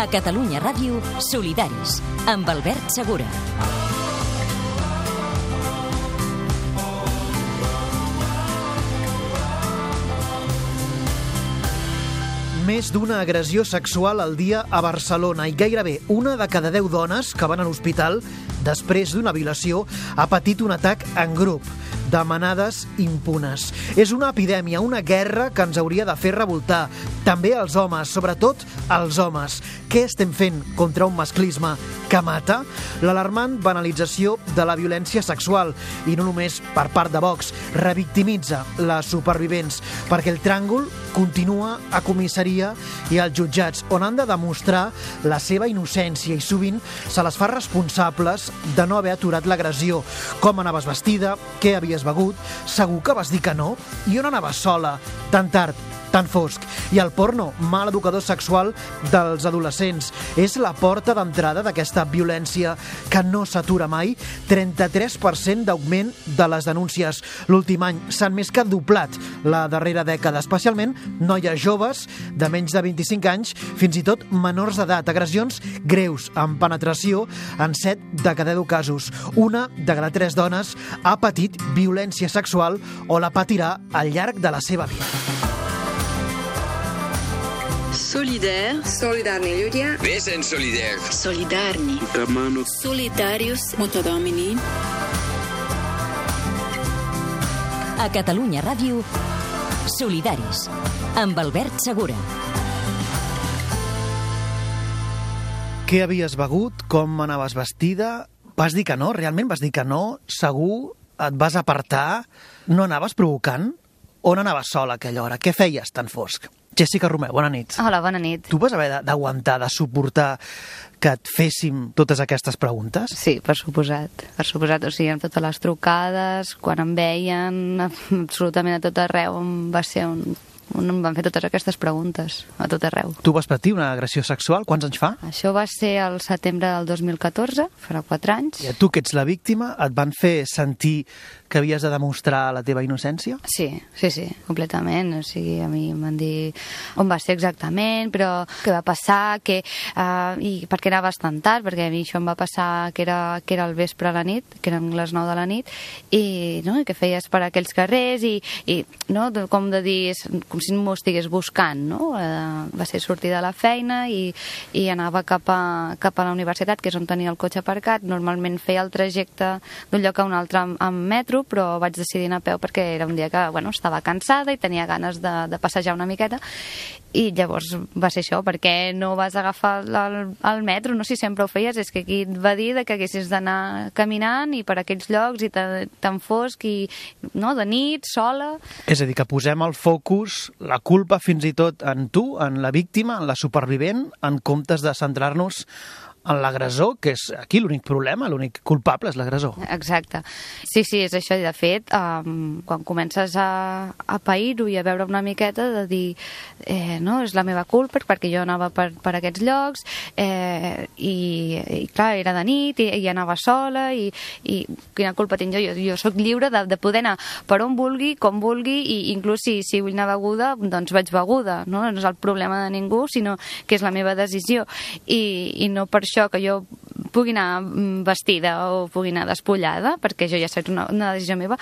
A Catalunya Ràdio, Solidaris, amb Albert Segura. Més d'una agressió sexual al dia a Barcelona i gairebé una de cada 10 dones que van a l'hospital després d'una violació ha patit un atac en grup, de manades impunes. És una epidèmia, una guerra que ens hauria de fer revoltar. També els homes, sobretot els homes. Què estem fent contra un masclisme que mata? L'alarmant banalització de la violència sexual, i no només per part de Vox, revictimitza les supervivents, perquè el tràngol continua a comissaria i als jutjats, on han de demostrar la seva innocència i sovint se les fa responsables de no haver aturat l'agressió. Com anaves vestida? Què havies begut? Segur que vas dir que no? I on anaves sola? Tan tard, tan fosc. I el porno, mal educador sexual dels adolescents, és la porta d'entrada d'aquesta violència que no s'atura mai. 33% d'augment de les denúncies. L'últim any s'han més que doblat la darrera dècada, especialment noies joves de menys de 25 anys, fins i tot menors d'edat. Agressions greus, amb penetració en 7 de cada 10 casos. Una de cada 3 dones ha patit violència sexual o la patirà al llarg de la seva vida. Solidaire. Solidarni ľudia. Vesen solidaire. Solidarni. Solidarius. Multidomini. A Catalunya Ràdio, Solidaris, amb Albert Segura. Què havies begut? Com anaves vestida? Vas dir que no? Realment vas dir que no? Segur? Et vas apartar? No anaves provocant? On anaves sola a aquella hora? Què feies tan fosc? Jessica Romeu, bona nit. Hola, bona nit. Tu vas haver d'aguantar, de suportar que et féssim totes aquestes preguntes? Sí, per suposat. Per suposat, o sigui, amb totes les trucades, quan em veien, absolutament a tot arreu, em van fer totes aquestes preguntes, a tot arreu. Tu vas patir una agressió sexual? Quants anys fa? Això va ser el setembre del 2014, farà 4 anys. I a tu, que ets la víctima, et van fer sentir que havies de demostrar la teva innocència? Sí, completament. O sigui, a mi em van dir on va ser exactament, però què va passar, i per què anaves tan tard, perquè a mi això em va passar que era el vespre a la nit, que eren les 9 de la nit, i què feies per aquells carrers, i no, com de dir, com si m'ho estigués buscant, no? Va ser sortir de la feina i anava cap a la universitat, que és on tenia el cotxe aparcat. Normalment feia el trajecte d'un lloc a un altre amb metro, però vaig decidir anar a peu perquè era un dia que estava cansada i tenia ganes de passejar una miqueta, i llavors va ser això. Per què no vas agafar el metro? No sé si sempre ho feies, és que aquí et va dir que haguessis d'anar caminant i per aquells llocs i tan fosc i de nit, sola. És a dir, que posem el focus, la culpa fins i tot en tu, en la víctima, en la supervivent, en comptes de centrar-nos en l'agressor, que és aquí l'únic problema, l'únic culpable és l'agressor. Aquestte. Sí, és això. I de fet, quan comences a pair-ho i a veure una miqueta, de dir, és la meva culpa, perquè jo anava per aquests llocs, i clar, era de nit, i anava sola, i quina culpa tinc jo? Jo soc lliure de poder anar per on vulgui, com vulgui, i inclús si vull anar beguda, doncs vaig beguda, no? No és el problema de ningú, sinó que és la meva decisió, i no per això que jo pugui anar vestida o pugui anar despullada, perquè jo ja sé una decisió meva.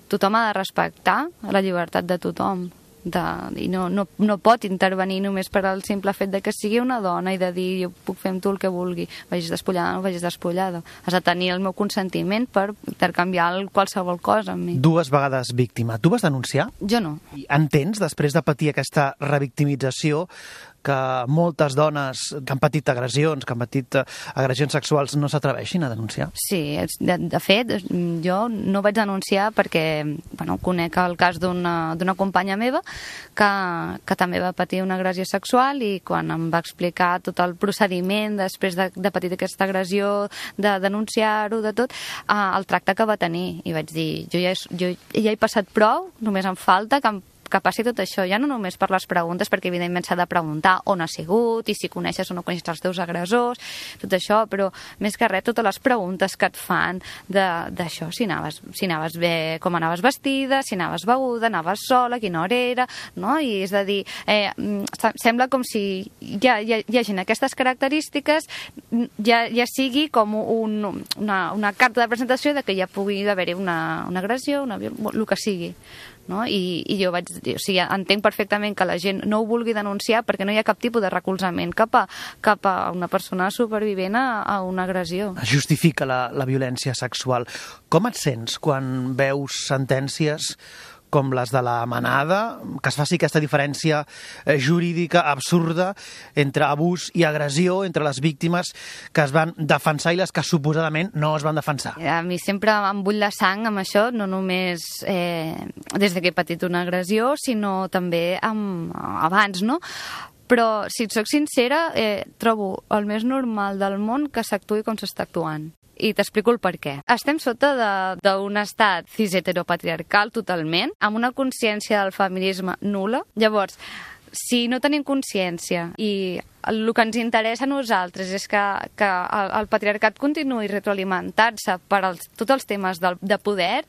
Tothom ha de respectar la llibertat de tothom, i no pot intervenir només per al simple fet de que sigui una dona i de dir jo puc fer amb tu el que vulgui, vagis despullada o no vagis despullada. Has de tenir el meu consentiment per intercanviar qualsevol cosa amb mi. 2 vegades víctima. Tu vas denunciar? Jo no. I entens, després de patir aquesta revictimització, que moltes dones que han patit agressions, que han patit agressions sexuals, no s'atreveixin a denunciar? Sí, de fet, jo no vaig denunciar perquè conec el cas d'una companya meva que també va patir una agressió sexual, i quan em va explicar tot el procediment després de patir aquesta agressió, de denunciar-ho, de tot, el tracte que va tenir, i vaig dir, jo ja he passat prou, només em falta que que passi tot això, ja no només per les preguntes, perquè evidentment s'ha de preguntar on ha sigut i si coneixes o no coneixes els teus agressors, tot això, però més que res totes les preguntes que et fan d'això, si anaves bé, com anaves vestida, si anaves beguda, anaves sola, a quina hora era, no? I és a dir, sembla com si hi hagin aquestes característiques, ja sigui com una carta de presentació de que ja pugui haver-hi una agressió, el que sigui. No? I jo vaig dir, entenc perfectament que la gent no ho vulgui denunciar perquè no hi ha cap tipus de recolzament cap a una persona supervivent a una agressió. Justifica la violència sexual. Com et sents quan veus sentències com les de la Manada, que es faci aquesta diferència jurídica absurda entre abús i agressió, entre les víctimes que es van defensar i les que suposadament no es van defensar? A mi sempre em bull la sang amb això, no només des que he patit una agressió, sinó també abans, no? Però, si et soc sincera, trobo el més normal del món que s'actuï com s'està actuant. I t'explico el per què. Estem sota d'un estat cis-heteropatriarcal totalment, amb una consciència del feminisme nul·la. Llavors, si no tenim consciència i el que ens interessa a nosaltres és que el patriarcat continuï retroalimentant-se per tots els temes de poder,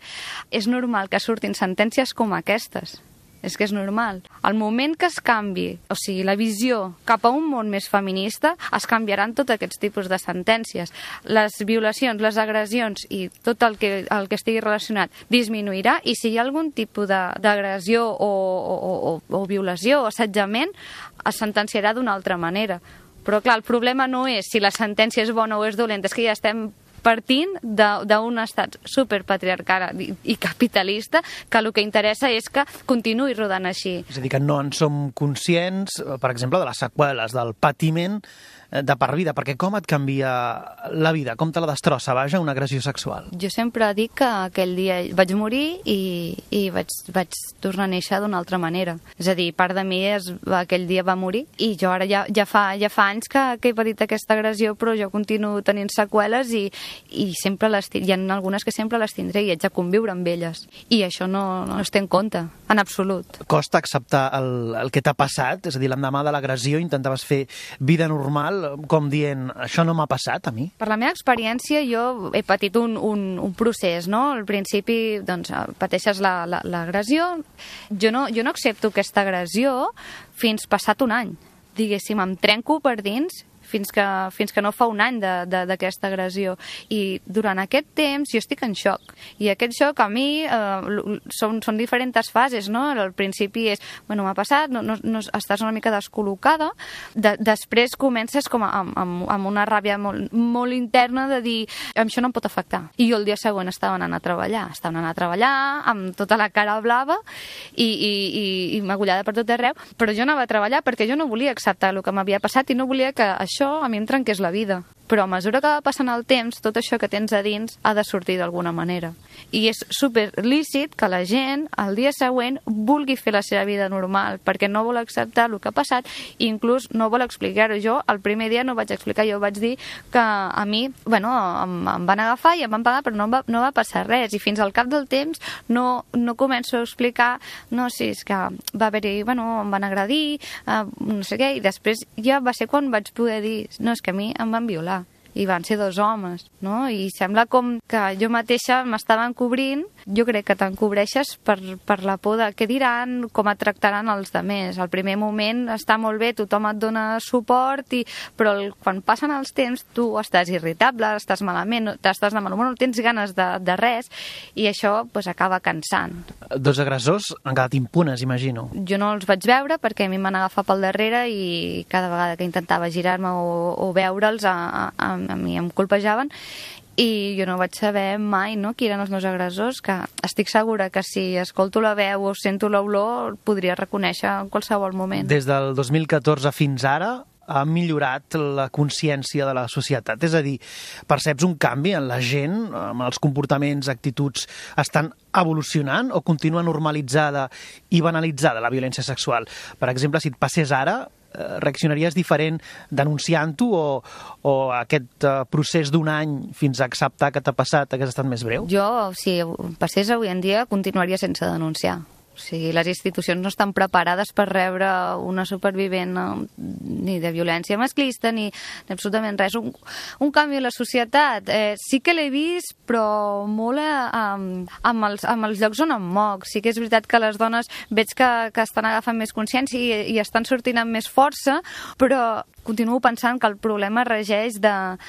és normal que surtin sentències com aquestes. És que és normal. Al moment que es canvi, o sigui, la visió cap a un món més feminista, es canviaran tots aquests tipus de sentències. Les violacions, les agressions i tot el que estigui relacionat disminuirà, i si hi ha algun tipus d'agressió o violació o assetjament, es sentenciarà d'una altra manera. Però clar, el problema no és si la sentència és bona o és dolenta, és que ja estem partint d'un estat superpatriarcal i capitalista que el que interessa és que continuï rodant així. És a dir, que no en som conscients, per exemple, de les seqüeles, del patiment de per vida, perquè com et canvia la vida? Com te la destrossa, vaja, una agressió sexual? Jo sempre dic que aquell dia vaig morir i vaig tornar a néixer d'una altra manera. És a dir, part de mi aquell dia va morir i jo ara ja fa anys que he patit aquesta agressió, però jo continuo tenint seqüeles i sempre hi ha algunes que sempre les tindré i haig de conviure amb elles. I això no es té en compte, en absolut. Costa acceptar el que t'ha passat? És a dir, l'endemà de l'agressió intentaves fer vida normal, com dient, això no m'ha passat a mi? Per la meva experiència, jo he patit un procés, no? Al principi, doncs, pateixes l'agressió. Jo no accepto aquesta agressió fins passat un any. Diguéssim, em trenco per dins fins que no fa un any d'aquesta agressió. I durant aquest temps jo estic en xoc. I aquest xoc a mi són diferents fases, no? Al principi és, bueno, m'ha passat, estàs una mica descol·locada, després comences com amb una ràbia molt interna de dir, això no em pot afectar. I jo el dia següent estava anant a treballar amb tota la cara blava i magullada per tot arreu, però jo anava a treballar perquè jo no volia acceptar el que m'havia passat i no volia que això a mi em trenqués la vida. Però a mesura que va passant el temps, tot això que tens a dins ha de sortir d'alguna manera. I és super lícit que la gent, el dia següent, vulgui fer la seva vida normal, perquè no vol acceptar el que ha passat i inclús no vol explicar-ho. Jo, el primer dia no vaig explicar, jo vaig dir que a mi, bueno, em van agafar i em van pagar, però no va passar res. I fins al cap del temps no començo a explicar, no, sí, és que va haver-hi, bueno, em van agredir, no sé què, i després ja va ser quan vaig poder dir, no, és que a mi em van violar. I van ser 2 homes, no? I sembla com que jo mateixa m'estava encobrint. Jo crec que t'encobreixes per la por de què diran, com et tractaran els altres. Al primer moment està molt bé, tothom et dona suport, però quan passen els temps tu estàs irritable, estàs malament, estàs de mal humor, no tens ganes de res, i això acaba cansant. 2 agressors han quedat impunes, imagino. Jo no els vaig veure perquè a mi em van agafar pel darrere i cada vegada que intentava girar-me o veure'ls a mi em colpejaven i jo no vaig saber mai, no, qui eren els meus agressors, que estic segura que si escolto la veu o sento l'olor podria reconèixer en qualsevol moment. Des del 2014 fins ara ha millorat la consciència de la societat? És a dir, perceps un canvi en la gent, amb els comportaments, actituds, estan evolucionant o continua normalitzada i banalitzada la violència sexual? Per exemple, si et passés ara, reaccionaries diferent denunciant-ho o aquest procés d'un any fins a acceptar que t'ha passat hagués estat més breu? Jo, si passés avui en dia, continuaria sense denunciar. O sigui, les institucions no estan preparades per rebre una supervivent ni de violència masclista ni absolutament res. Un canvi a la societat. Sí que l'he vist, però molt amb els llocs on em moc. Sí que és veritat que les dones veig que estan agafant més consciència i estan sortint amb més força, però continuo pensant que el problema regeix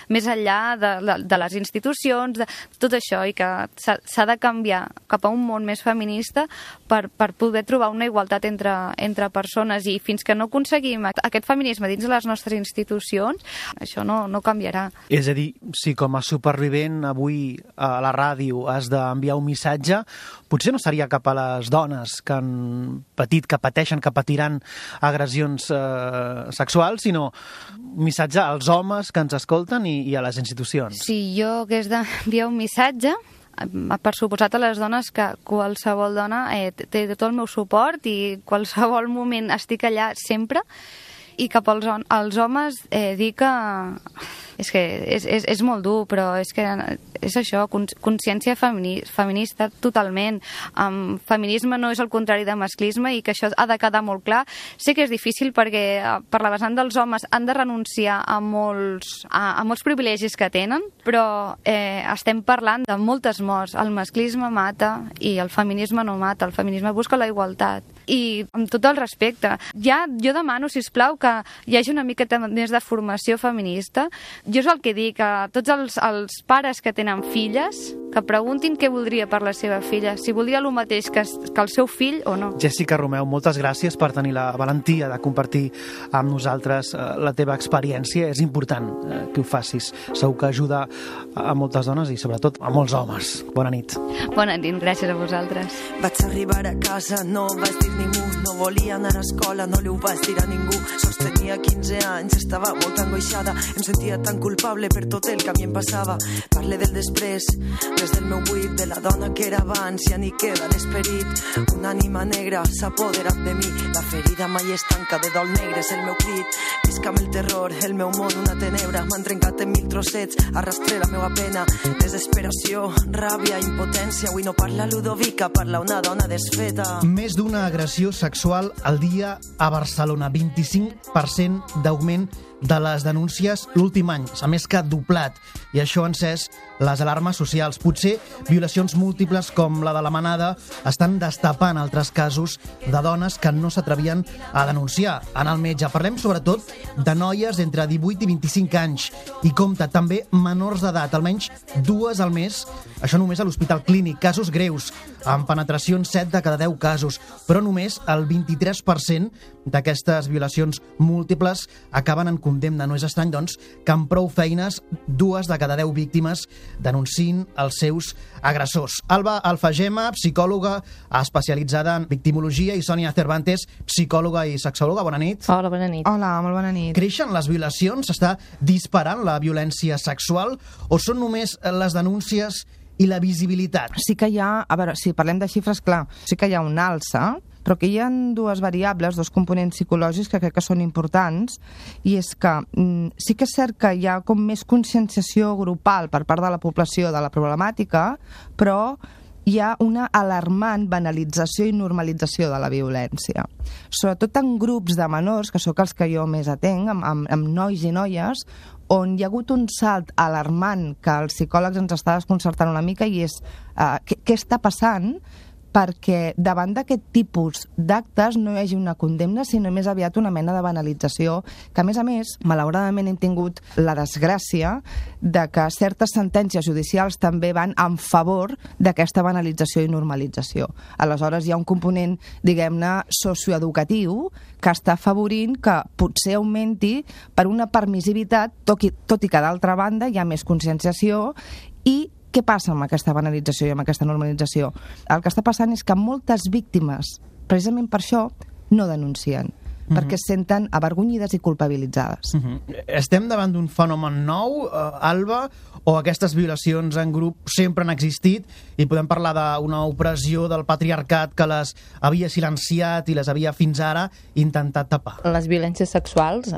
més enllà de les institucions, de tot això, i que s'ha de canviar cap a un món més feminista per poder trobar una igualtat entre persones, i fins que no aconseguim aquest feminisme dins de les nostres institucions, això no canviarà. És a dir, si com a supervivent avui a la ràdio has d'enviar un missatge, potser no seria cap a les dones que han patit, que pateixen, que patiran agressions sexuals, sinó un missatge als homes que ens escolten i a les institucions. Si jo hagués d'enviar un missatge, per suposat a les dones, que qualsevol dona té tot el meu suport i qualsevol moment estic allà sempre, i cap als homes dir que és que és molt dur, però és que és això, consciència feminista totalment. Feminisme no és el contrari de masclisme, i que això ha de quedar molt clar. Sé que és difícil perquè per la vessant dels homes han de renunciar a molts privilegis que tenen, però estem parlant de moltes morts. El masclisme mata i el feminisme no mata. El feminisme busca la igualtat. I amb tot el respecte, jo demano, sisplau, que hi hagi una miqueta més de formació feminista. Jo és el que dic, a tots els pares que tenen filles, que preguntin què voldria per la seva filla, si voldria el mateix que el seu fill o no. Jessica Romeu, moltes gràcies per tenir la valentia de compartir amb nosaltres la teva experiència. És important que ho facis. Segur que ajuda a moltes dones i sobretot a molts homes. Bona nit. Bona nit, gràcies a vosaltres. Vaig arribar a casa, no vaig dir ningú, no volia anar a escola, no li ho vaig dir a ningú. Sols tenia 15 anys, estava molt angoixada, em sentia tan culpable per tot el que a mi em passava. Parle del després, des del meu buit, de la dona que era abans, ja ni queda l'esperit. Una ànima negra s'ha apoderat de mi, la ferida mai es tanca, de dol negre és el meu crit. Visc amb el terror, el meu món una tenebra, m'han trencat en 1000 trossets, arrastré la meva pena, desesperació, ràbia, impotència. Avui no parla Ludovica, parla una dona desfeta. Més d'una agressió sexual al dia a Barcelona, 25% d'augment de les denúncies l'últim any, s'ha més que doblat, i això ha encès les alarmes socials. Potser violacions múltiples com la de la Manada estan destapant altres casos de dones que no s'atrevien a denunciar. En el metge parlem sobretot de noies entre 18 i 25 anys i compta també menors d'edat, almenys 2 al mes, això només a l'Hospital Clínic, casos greus, amb penetració en 7 de cada 10 casos, però només el 23% d'aquestes violacions múltiples acaben en condemna. No és estrany, doncs, que amb prou feines 2 de cada 10 víctimes denunciïn els seus agressors. Alba Alfagema, psicòloga especialitzada en victimologia, i Sònia Cervantes, psicòloga i sexòloga. Bona nit. Hola, bona nit. Hola, molt bona nit. Creixen les violacions? S'està disparant la violència sexual? O són només les denúncies i la visibilitat? Sí que hi ha, a veure, si parlem de xifres, clar, sí que hi ha una alça, però que hi ha 2 variables, 2 components psicològics que crec que són importants, i és que sí que és cert que hi ha com més conscienciació grupal per part de la població de la problemàtica, però hi ha una alarmant banalització i normalització de la violència. Sobretot en grups de menors, que sóc els que jo més atenc, amb nois i noies, on hi ha hagut un salt alarmant que els psicòlegs ens està desconcertant una mica, i és què està passant perquè davant d'aquest tipus d'actes no hi hagi una condemna, sinó més aviat una mena de banalització, que a més, malauradament hem tingut la desgràcia de que certes sentències judicials també van en favor d'aquesta banalització i normalització. Aleshores hi ha un component, diguem-ne, socioeducatiu que està afavorint que potser augmenti per una permissivitat, tot i que d'altra banda hi ha més conscienciació. I què passa amb aquesta banalització i amb aquesta normalització? El que està passant és que moltes víctimes, precisament per això, no denuncien. perquè es senten avergonyides i culpabilitzades. Estem davant d'un fenomen nou, Alba, o aquestes violacions en grup sempre han existit i podem parlar d'una opressió del patriarcat que les havia silenciat i les havia fins ara intentat tapar? Les violències sexuals,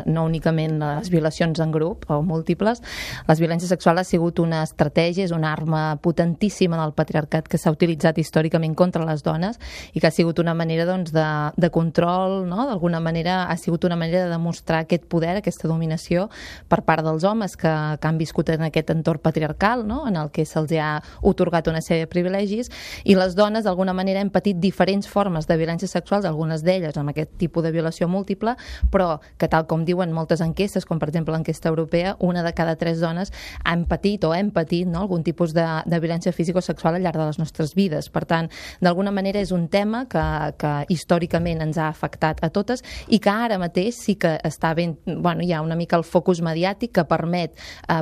no únicament les violacions en grup o múltiples, les violències sexuals ha sigut una estratègia, és una arma potentíssima del patriarcat que s'ha utilitzat històricament contra les dones i que ha sigut una manera de control, no? D'alguna manera ha sigut una manera de demostrar aquest poder, aquesta dominació per part dels homes que han viscut en aquest entorn patriarcal, no? En el que se'ls ha otorgat una sèrie de privilegis, i les dones d'alguna manera han patit diferents formes de violències sexuals, algunes d'elles amb aquest tipus de violació múltiple, però que tal com diuen moltes enquestes, com per exemple l'enquesta europea, 1 de cada 3 dones han patit o hem patit, no? Algun tipus de violència física o sexual al llarg de les nostres vides. Per tant, d'alguna manera és un tema que històricament ens ha afectat a totes i que ara mateix sí que està ben, hi ha una mica el focus mediàtic que permet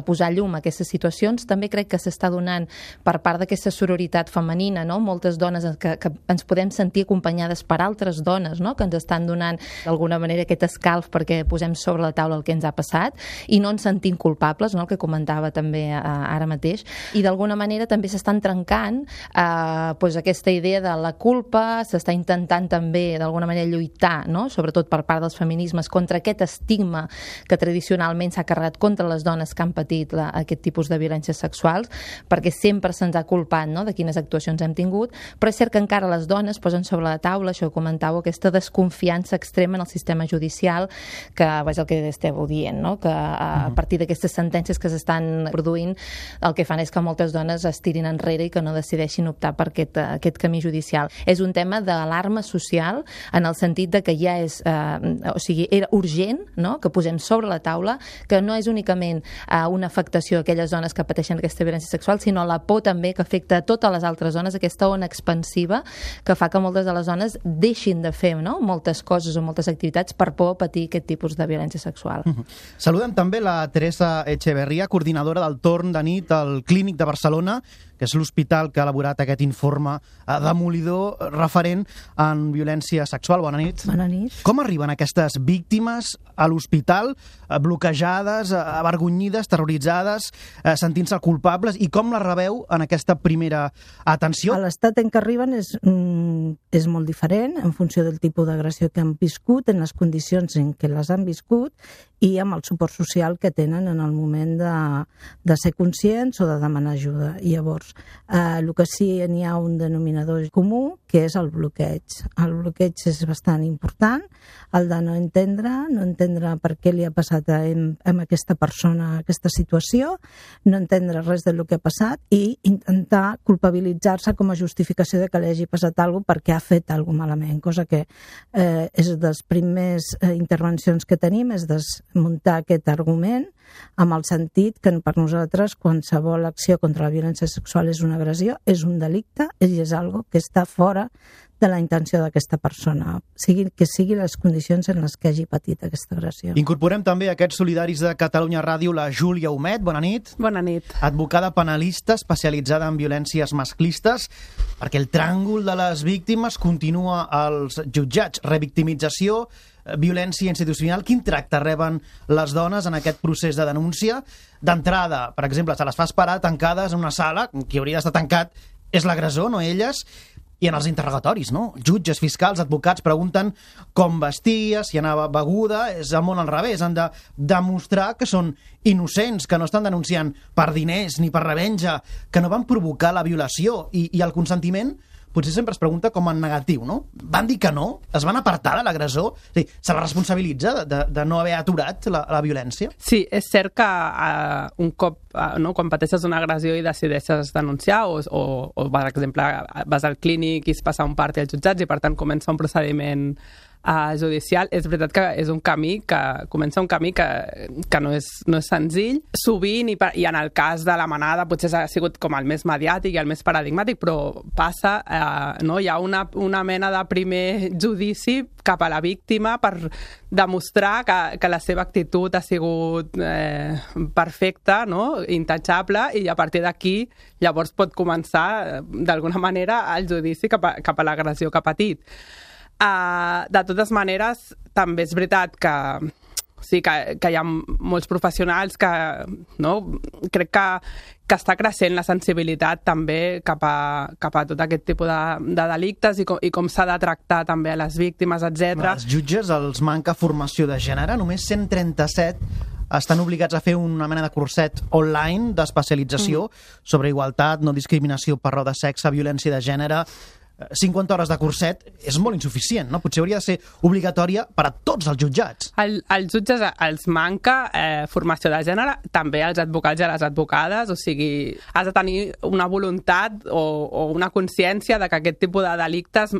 posar llum a aquestes situacions. També crec que s'està donant per part d'aquesta sororitat femenina, no? Moltes dones que ens podem sentir acompanyades per altres dones, no? Que ens estan donant d'alguna manera aquest escalf perquè posem sobre la taula el que ens ha passat i no ens sentim culpables, no? El que comentava també ara mateix, i d'alguna manera també s'estan trencant aquesta idea de la culpa, s'està intentant també d'alguna manera lluitar, no? Sobretot per part dels feminismes, contra aquest estigma que tradicionalment s'ha carregat contra les dones que han patit aquest tipus de violències sexuals, perquè sempre se'ns ha culpat, no? De quines actuacions hem tingut, però és cert que encara les dones posen sobre la taula, això que comentàveu, aquesta desconfiança extrema en el sistema judicial, que és el que esteu dient, no? Que a partir d'aquestes sentències que s'estan produint, el que fan és que moltes dones es tirin enrere i que no decideixin optar per aquest camí judicial. És un tema d'alarma social en el sentit de que ja és, era urgent, no? Que posem sobre la taula que no és únicament una afectació a aquelles dones que pateixen aquesta violència sexual, sinó la por també que afecta a totes les altres dones, aquesta ona expansiva que fa que moltes de les dones deixin de fer, no? Moltes coses o moltes activitats per por a patir aquest tipus de violència sexual. Saludem també la Teresa Echeverría, coordinadora del torn de nit al Clínic de Barcelona, que és l'hospital que ha elaborat aquest informe demolidor referent en violència sexual. Bona nit. Bona nit. Com arriben aquestes víctimes a l'hospital bloquejades, avergonyides, terroritzades, sentint-se culpables, i com les rebeu en aquesta primera atenció? L'estat en què arriben és molt diferent en funció del tipus d'agressió que han viscut, en les condicions en què les han viscut i amb el suport social que tenen en el moment de ser conscients o de demanar ajuda. I llavors, el que sí n'hi ha un denominador comú, que és el bloqueig. El bloqueig és bastant important, el de no entendre per què li ha passat a aquesta persona aquesta situació, no entendre res del que ha passat i intentar culpabilitzar-se com a justificació de que li hagi passat alguna cosa perquè ha fet alguna cosa malament, cosa que és de les primeres intervencions que tenim, és desmuntar aquest argument amb el sentit que per nosaltres qualsevol acció contra la violència sexual és una agressió, és un delicte i és algo que està fora de la intenció d'aquesta persona, que sigui les condicions en les que hagi patit aquesta agressió. Incorporem també aquests solidaris de Catalunya Ràdio, la Júlia Humet. Bona nit. Bona nit. Advocada penalista especialitzada en violències masclistes, perquè el tràngol de les víctimes continua als jutjats. Revictimització, violència institucional. Quin tracte reben les dones en aquest procés de denúncia? D'entrada, per exemple, se les fa esperar tancades en una sala, qui hauria d'estar tancat és l'agressor, no elles, i en els interrogatoris, no? Jutges, fiscals, advocats pregunten com vestia, si anava beguda, és el món al revés, han de demostrar que són innocents, que no estan denunciant per diners ni per revenja, que no van provocar la violació, i el consentiment potser sempre es pregunta com en negatiu, no? Van dir que no? Es van apartar de l'agressor? Se la responsabilitza de no haver aturat la violència? Sí, és cert que un cop, quan pateixes una agressió i decideixes denunciar o per exemple, vas al clínic i es passa un part als jutjats i per tant comença un procediment judicial, és veritat que és un camí que comença un camí que no és senzill. Sovint, i en el cas de la manada potser ha sigut com el més mediàtic i el més paradigmàtic, però passa, hi ha una mena de primer judici cap a la víctima per demostrar que la seva actitud ha sigut perfecta, intachable, i a partir d'aquí llavors pot començar d'alguna manera el judici cap a l'agressió que ha patit. De totes maneres, també és veritat que sí, que hi ha molts professionals que, no, crec que està creixent la sensibilitat també cap a tot aquest tipus de delictes i com s'ha de tractar també a les víctimes, etc. Els jutges els manca formació de gènere, només 137 estan obligats a fer una mena de curset online d'especialització sobre igualtat, no discriminació per raó de sexe, violència de gènere. 50 hores de curset és molt insuficient, no? Potser hauria de ser obligatòria per a tots els jutjats. Als jutges els manca formació de gènere, també als advocats i a les advocades, o sigui, has de tenir una voluntat o una consciència de que aquest tipus de delictes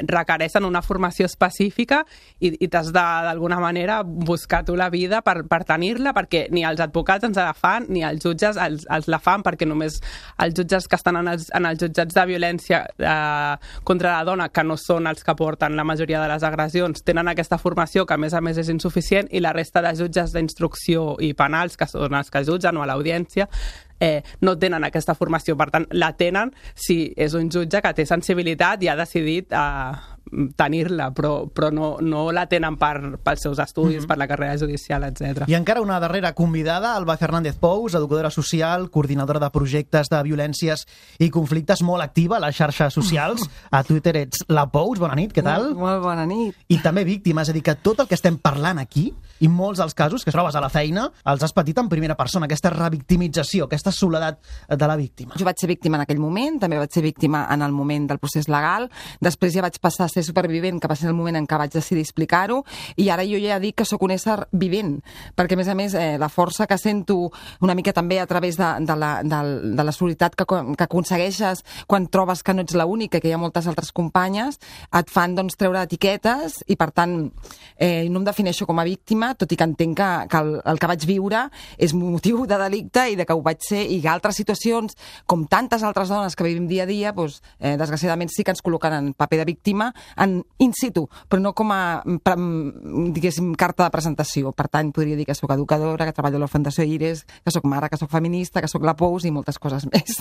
requereixen una formació específica i t'has d'alguna manera buscar tu la vida per tenir-la, perquè ni els advocats ens la fan, ni els jutges els la fan, perquè només els jutges que estan en els jutjats de violència contra la dona, que no són els que porten la majoria de les agressions, tenen aquesta formació que a més és insuficient, i la resta de jutges d'instrucció i penals, que són els que jutgen o a l'audiència, no tenen aquesta formació. Per tant, la tenen si és un jutge que té sensibilitat i ha decidit tenir-la, però no la tenen pels seus estudis, per la carrera judicial, etc. I encara una darrera convidada, Alba Fernández Pous, educadora social, coordinadora de projectes de violències i conflictes, molt activa a les xarxes socials. A Twitter ets la Pous. Bona nit, què tal? Molt bona nit. I també víctima, és a dir, que tot el que estem parlant aquí, i molts dels casos que trobes a la feina, els has patit en primera persona, aquesta revictimització, aquesta soledat de la víctima. Jo vaig ser víctima en aquell moment, també vaig ser víctima en el moment del procés legal, després ja vaig passar a ser supervivent, que va ser el moment en què vaig decidir explicar-ho, i ara jo ja dic que sóc un ésser vivent, perquè a més la força que sento una mica també a través de la solidaritat que aconsegueixes quan trobes que no ets l'única, que hi ha moltes altres companyes, et fan treure etiquetes, i per tant no em defineixo com a víctima, tot i que entenc que el que vaig viure és motiu de delicte i de que ho vaig ser, i que altres situacions, com tantes altres dones que vivim dia a dia, desgraciadament sí que ens col·loquen en paper de víctima in situ, però no com a, diguéssim, carta de presentació. Per tant, podria dir que soc educadora, que treballo a la Fundació Iris, que soc mare, que soc feminista, que soc la Pous i moltes coses més.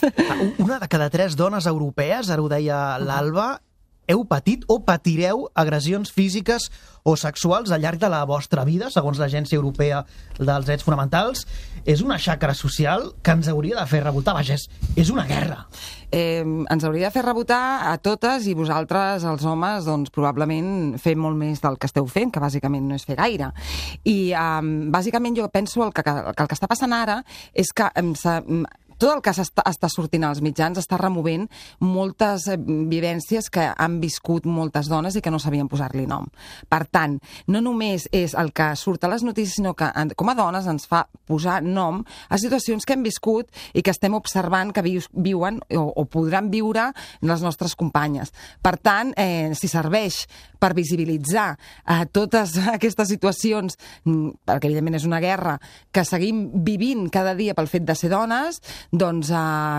Una de cada 3 dones europees, ara ho deia l'Alba, heu patit o patireu agressions físiques o sexuals al llarg de la vostra vida, segons l'Agència Europea dels Drets Fonamentals. És una xacra social que ens hauria de fer rebotar. Vaja, és una guerra. Ens hauria de fer rebotar a totes, i vosaltres, els homes, probablement fem molt més del que esteu fent, que bàsicament no és fer gaire. I bàsicament jo penso que el que està passant ara és que tot el que està sortint als mitjans està removent moltes vivències que han viscut moltes dones i que no sabien posar-li nom. Per tant, no només és el que surt a les notícies, sinó que com a dones ens fa posar nom a situacions que hem viscut i que estem observant que viuen o podran viure les nostres companyes. Per tant, si serveix per visibilitzar totes aquestes situacions, perquè evidentment és una guerra que seguim vivint cada dia pel fet de ser dones, doncs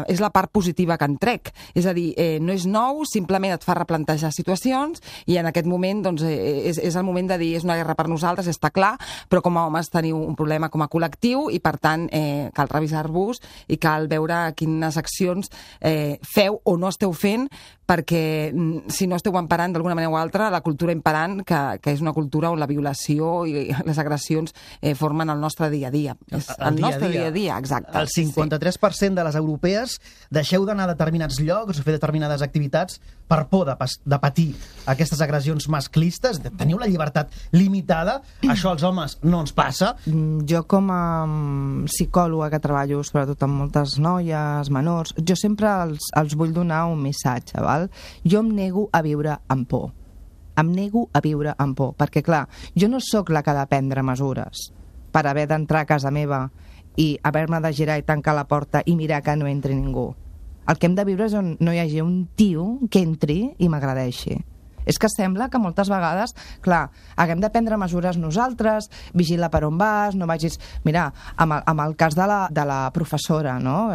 és la part positiva que en trec. És a dir, no és nou, simplement et fa replantejar situacions, i en aquest moment és el moment de dir és una guerra per nosaltres, està clar, però com a homes teniu un problema com a col·lectiu, i per tant cal revisar-vos i cal veure quines accions feu o no esteu fent, perquè si no esteu emparant d'alguna manera o altra la cultura imperant, que és una cultura on la violació i les agressions formen el nostre dia a dia. El nostre dia a dia, exacte. El 53% de les europees deixeu d'anar a determinats llocs o fer determinades activitats per por de patir aquestes agressions masclistes. Teniu la llibertat limitada. Això als homes no ens passa. Jo, com a psicòloga que treballo sobretot amb moltes noies menors, jo sempre els vull donar un missatge, val? Jo em nego a viure amb por. Em nego a viure amb por, perquè clar, jo no sóc la que ha de prendre mesures per haver d'entrar a casa meva i haver-me de girar i tancar la porta i mirar que no entri ningú. El que hem de viure és on no hi hagi un tio que entri i m'agradeixi. És que sembla que moltes vegades, clar, haguem de prendre mesures nosaltres, vigila per on vas, no vagis... Mira, amb el cas de la professora, no?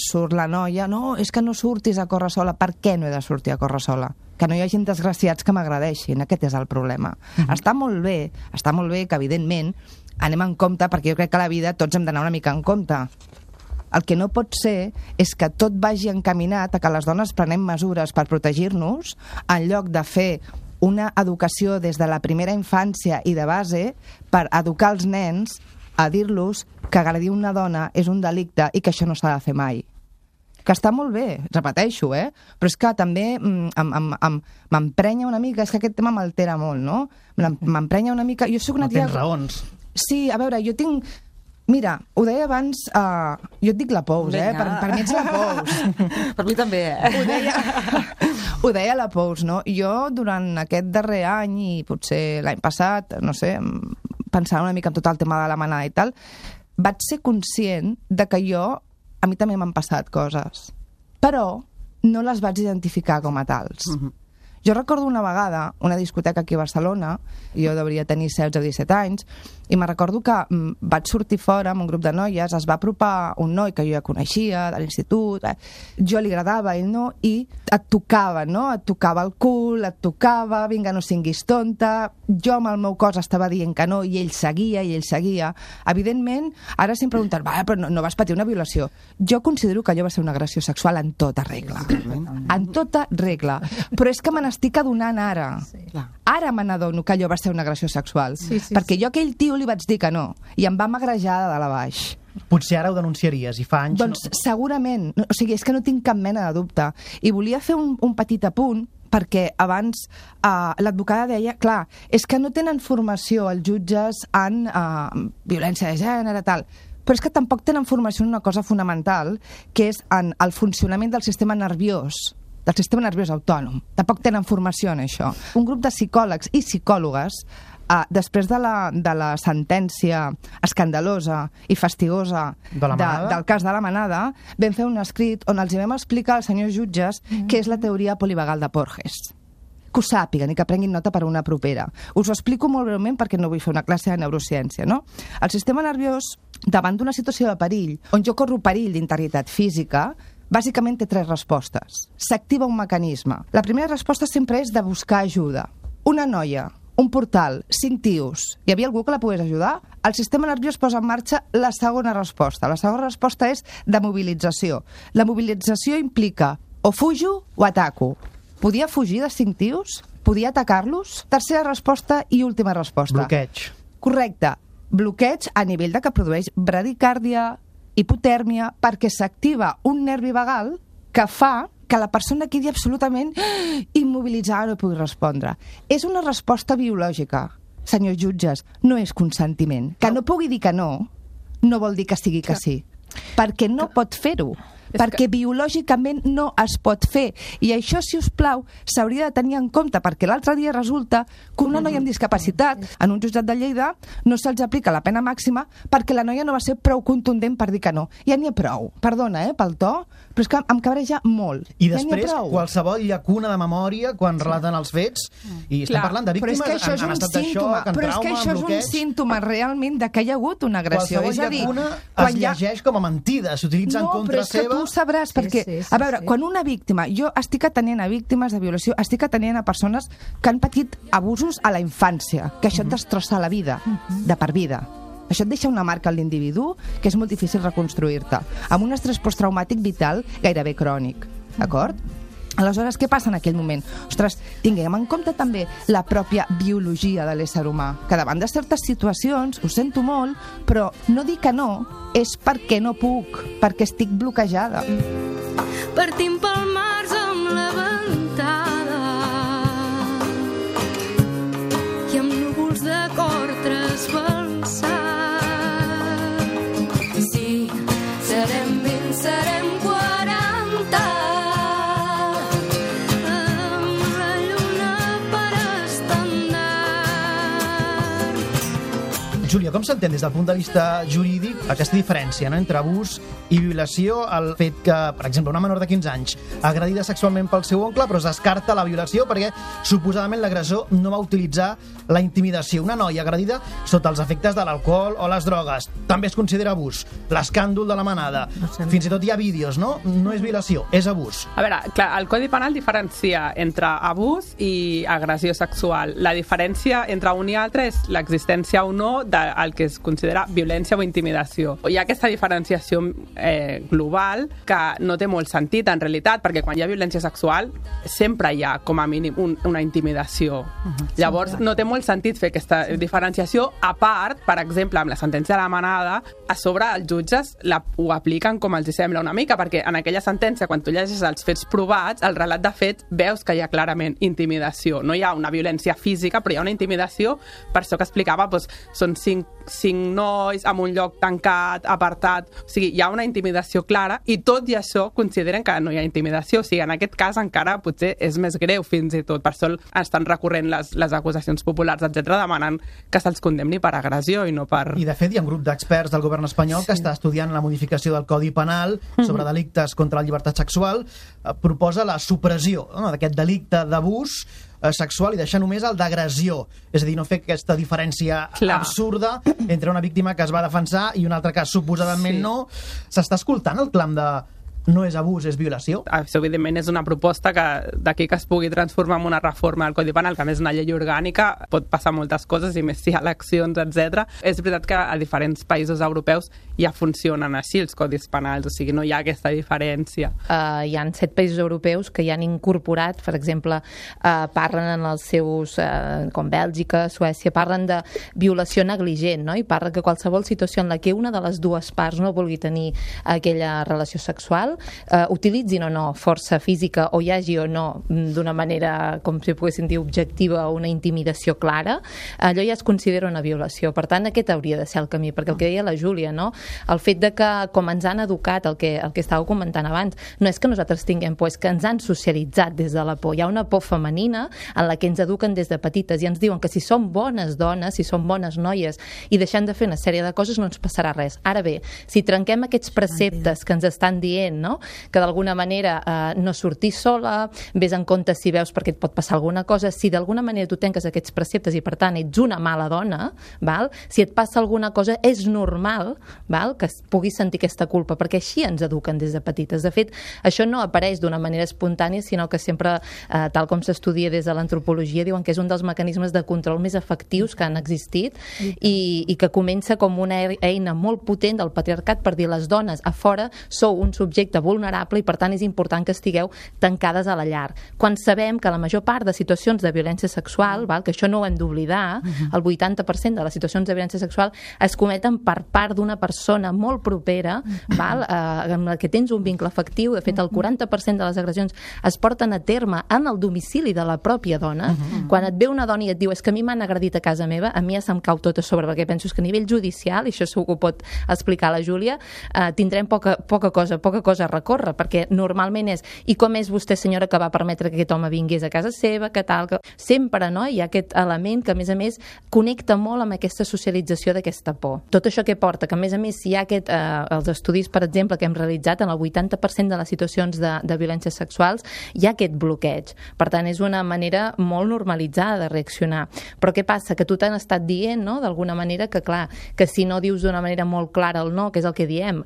Surt la noia, no, és que no surtis a córrer sola. Per què no he de sortir a córrer sola? Que no hi hagi desgraciats que m'agradeixin, aquest és el problema. Està molt bé que, evidentment, anem en compte, perquè jo crec que a la vida tots hem d'anar una mica en compte. El que no pot ser és que tot vagi encaminat a que les dones prenem mesures per protegir-nos en lloc de fer una educació des de la primera infància i de base per educar els nens a dir-los que agredir una dona és un delicte i que això no s'ha de fer mai. Que està molt bé, repeteixo, però és que també m'emprenya una mica, és que aquest tema m'altera molt, no? M'emprenya una mica... Jo soc una tia... Tens raons. Sí, a veure, jo tinc... Mira, ho deia abans, jo et dic la Pous, per mi ets la Pous. Per mi també, Ho deia la Pous, no? Jo, durant aquest darrer any i potser l'any passat, no sé, pensant una mica en tot el tema de la manada i tal, vaig ser conscient de que a mi també m'han passat coses, però no les vaig identificar com a tals. Jo recordo una vegada, una discoteca aquí a Barcelona, jo devia tenir 16 o 17 anys, i me recordo que vaig sortir fora amb un grup de noies, es va apropar un noi que jo ja coneixia, de l'institut, jo li agradava, ell no, i et tocava, no? Et tocava el cul, et tocava, vinga, no singuis tonta, jo amb el meu cos estava dient que no, i ell seguia, Evidentment, ara se'm pregunten, però no vas patir una violació. Jo considero que allò va ser una agressió sexual en tota regla. En tota regla. Però és que me n'estic adonant ara. Ara me n'adono que allò va ser una agressió sexual. Perquè jo a aquell tio li vaig dir que no, i em va magrejar de dalt a baix. Potser ara ho denunciaries, i fa anys... Doncs segurament. O sigui, és que no tinc cap mena de dubte. I volia fer un petit apunt, perquè abans l'advocada deia, clar, és que no tenen formació els jutges en violència de gènere, tal, però és que tampoc tenen formació en una cosa fonamental, que és en el funcionament del sistema nerviós autònom. Tampoc tenen formació en això. Un grup de psicòlegs i psicòlogues, després de la sentència escandalosa i fastigosa del cas de la manada, vam fer un escrit on els vam explicar als senyors jutges què és la teoria polivagal de Porges. Que ho sàpiguen i que prenguin nota per una propera. Us ho explico molt breument perquè no vull fer una classe de neurociència, no? El sistema nerviós, davant d'una situació de perill, on jo corro perill d'integritat física, bàsicament té 3 respostes. S'activa un mecanisme. La primera resposta sempre és de buscar ajuda. Una noia, un portal, 5 tios, hi havia algú que la pogués ajudar? El sistema nerviós posa en marxa la segona resposta. La segona resposta és de mobilització. La mobilització implica o fujo o ataco. Podia fugir de 5 tios? Podia atacar-los? Tercera resposta i última resposta. Bloqueig. Correcte. Bloqueig a nivell de que produeix bradicàrdia, hipotèrmia, perquè s'activa un nervi vagal que fa que la persona quedi absolutament immobilitzada, no pugui respondre. És una resposta biològica, senyors jutges, no és consentiment. Que no pugui dir que no vol dir que sigui que sí. Perquè no pot fer-ho. Perquè biològicament no es pot fer. I això, si us plau, s'hauria de tenir en compte, perquè l'altre dia resulta que una noia amb discapacitat en un jutjat de Lleida no se'ls aplica la pena màxima perquè la noia no va ser prou contundent per dir que no. Ja n'hi ha prou. Perdona, pel to, però és que em cabreja molt. I després, qualsevol llacuna de memòria quan relaten els fets, i estem parlant de víctimes en estat de xoc, en trauma, en bloqueig... Però és que això és un símptoma realment de que hi ha hagut una agressió. Qualsevol llacuna es llegeix com a mentida, s'utilitza en contra seva... Tu sabràs, perquè, a veure, quan una víctima... Jo estic atenent a víctimes de violació, estic atenent a persones que han patit abusos a la infància, que això et destrossa la vida, de per vida. Això et deixa una marca en l'individu que és molt difícil reconstruir-te, amb un estrès posttraumàtic vital gairebé crònic, d'acord? Aleshores, què passa en aquell moment? Ostres, tinguem en compte també la pròpia biologia de l'ésser humà, que davant de certes situacions, ho sento molt, però no dir que no és perquè no puc, perquè estic bloquejada. Partim pel març amb la ventada i amb núvols de cor trasbalsat. Sí, serem 20, serem 40. Júlia, com s'entén des del punt de vista jurídic aquesta diferència, no?, entre abús i violació? El fet que, per exemple, una menor de 15 anys agredida sexualment pel seu oncle, però es descarta la violació perquè suposadament l'agressor no va utilitzar la intimidació. Una noia agredida sota els efectes de l'alcohol o les drogues també es considera abús. L'escàndol de la manada, fins i tot hi ha vídeos, no? No és violació, és abús. A veure, clar, el Codi Penal diferencia entre abús i agressió sexual. La diferència entre un i altre és l'existència o no del que es considera violència o intimidació. Hi ha aquesta diferenciació global que no té molt sentit en realitat, perquè quan hi ha violència sexual sempre hi ha com a mínim una intimidació. Llavors no té molt sentit fer aquesta diferenciació, a part, per exemple, amb la sentència de la Manada, a sobre els jutges ho apliquen com els sembla una mica, perquè en aquella sentència, quan tu llegeixes els fets provats, el relat de fets, veus que hi ha clarament intimidació. No hi ha una violència física, però hi ha una intimidació, per això que explicava, doncs, són cinc nois en un lloc tancat, apartat, o sigui, hi ha una intimidació clara, i tot i això consideren que no hi ha intimidació, o sigui, en aquest cas encara potser és més greu fins i tot, per això estan recorrent les acusacions populars, etc., demanant que se'ls condemni per agressió i no per... I de fet hi ha un grup d'experts del govern espanyol que està estudiant la modificació del Codi Penal sobre delictes contra la llibertat sexual, proposa la supressió d'aquest delicte d'abús sexual i deixar només el d'agressió, és a dir, no fer aquesta diferència absurda entre una víctima que es va defensar i una altra que suposadament no. S'està escoltant el clam de no és abús, és violació? Això, evidentment, és una proposta que d'aquí que es pugui transformar en una reforma del Codi Penal, que a més és una llei orgànica, pot passar moltes coses, i més si hi ha eleccions, etc. És veritat que a diferents països europeus ja funcionen així els codis penals, o sigui, no hi ha aquesta diferència. Hi ha 7 països europeus que ja han incorporat, per exemple, parlen en els seus, com Bèlgica, Suècia, parlen de violació negligent, no? I parlen que qualsevol situació en la que una de les dues parts no vulgui tenir aquella relació sexual, utilitzin o no força física o hi hagi o no d'una manera, com si poguéssim dir, objectiva o una intimidació clara, allò ja es considera una violació. Per tant, aquest hauria de ser el camí, perquè el que deia la Júlia, no? El fet de que, com ens han educat, el que estàveu comentant abans, no és que nosaltres tinguem por, és que ens han socialitzat des de la por. Hi ha una por femenina en la que ens eduquen des de petites i ens diuen que si som bones dones, si som bones noies i deixem de fer una sèrie de coses no ens passarà res. Ara bé, si trenquem aquests preceptes que ens estan dient, no? Que d'alguna manera no sortir sola, vés en compte si veus perquè et pot passar alguna cosa, si d'alguna manera tu trenques aquests preceptes i per tant ets una mala dona, val? Si et passa alguna cosa és normal, val? Que puguis sentir aquesta culpa, perquè així ens eduquen des de petites. De fet, això no apareix d'una manera espontània, sinó que sempre, tal com s'estudia des de l'antropologia, diuen que és un dels mecanismes de control més efectius que han existit i que comença com una eina molt potent del patriarcat per dir les dones a fora sou un subjecte vulnerable i per tant és important que estigueu tancades a la llar. Quan sabem que la major part de situacions de violència sexual, val, que això no ho hem d'oblidar, el 80% de les situacions de violència sexual es cometen per part d'una persona molt propera, val, amb la que tens un vincle afectiu. De fet, el 40% de les agressions es porten a terme en el domicili de la pròpia dona. Quan et ve una dona i et diu és que a mi m'han agredit a casa meva, a mi ja se'm cau tot a sobre, perquè penso que a nivell judicial, i això segur que ho pot explicar la Júlia, tindrem poca cosa a recórrer, perquè normalment és i com és vostè, senyora, que va permetre que aquest home vingués a casa seva, que tal, que... Sempre, no? Hi ha aquest element que, a més, connecta molt amb aquesta socialització d'aquesta por. Tot això que porta, que a més, hi ha els estudis, per exemple, que hem realitzat, en el 80% de les situacions de violències sexuals, hi ha aquest bloqueig. Per tant, és una manera molt normalitzada de reaccionar. Però què passa? Que tu t'han estat dient, no?, d'alguna manera, que clar, que si no dius d'una manera molt clara el no, que és el que diem,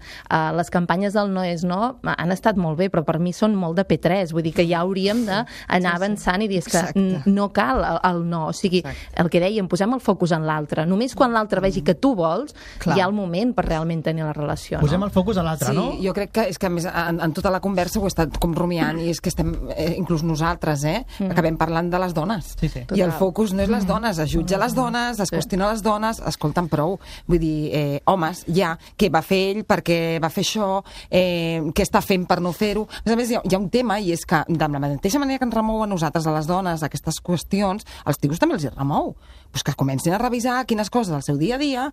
les campanyes del no és no han estat molt bé, però per mi són molt de P3, vull dir que ja hauríem d'anar avançant i dir que no cal el no, o sigui, el que dèiem, posem el focus en l'altre, només quan l'altre vegi que tu vols, hi ha el moment per realment tenir la relació. Posem el focus en l'altre, no? Sí, jo crec que és que a més en tota la conversa ho he estat com rumiant i és que estem, inclús nosaltres, acabem parlant de les dones. I el focus no és les dones, es jutja les dones, es qüestiona les dones, escolta'm prou, vull dir, homes, ja, què va fer ell, per què va fer això, què està fent per no fer-ho. A més, hi ha un tema, i és que de la mateixa manera que ens remou a nosaltres, a les dones, aquestes qüestions, als tios també els hi remou. Pues que comencin a revisar quines coses del seu dia a dia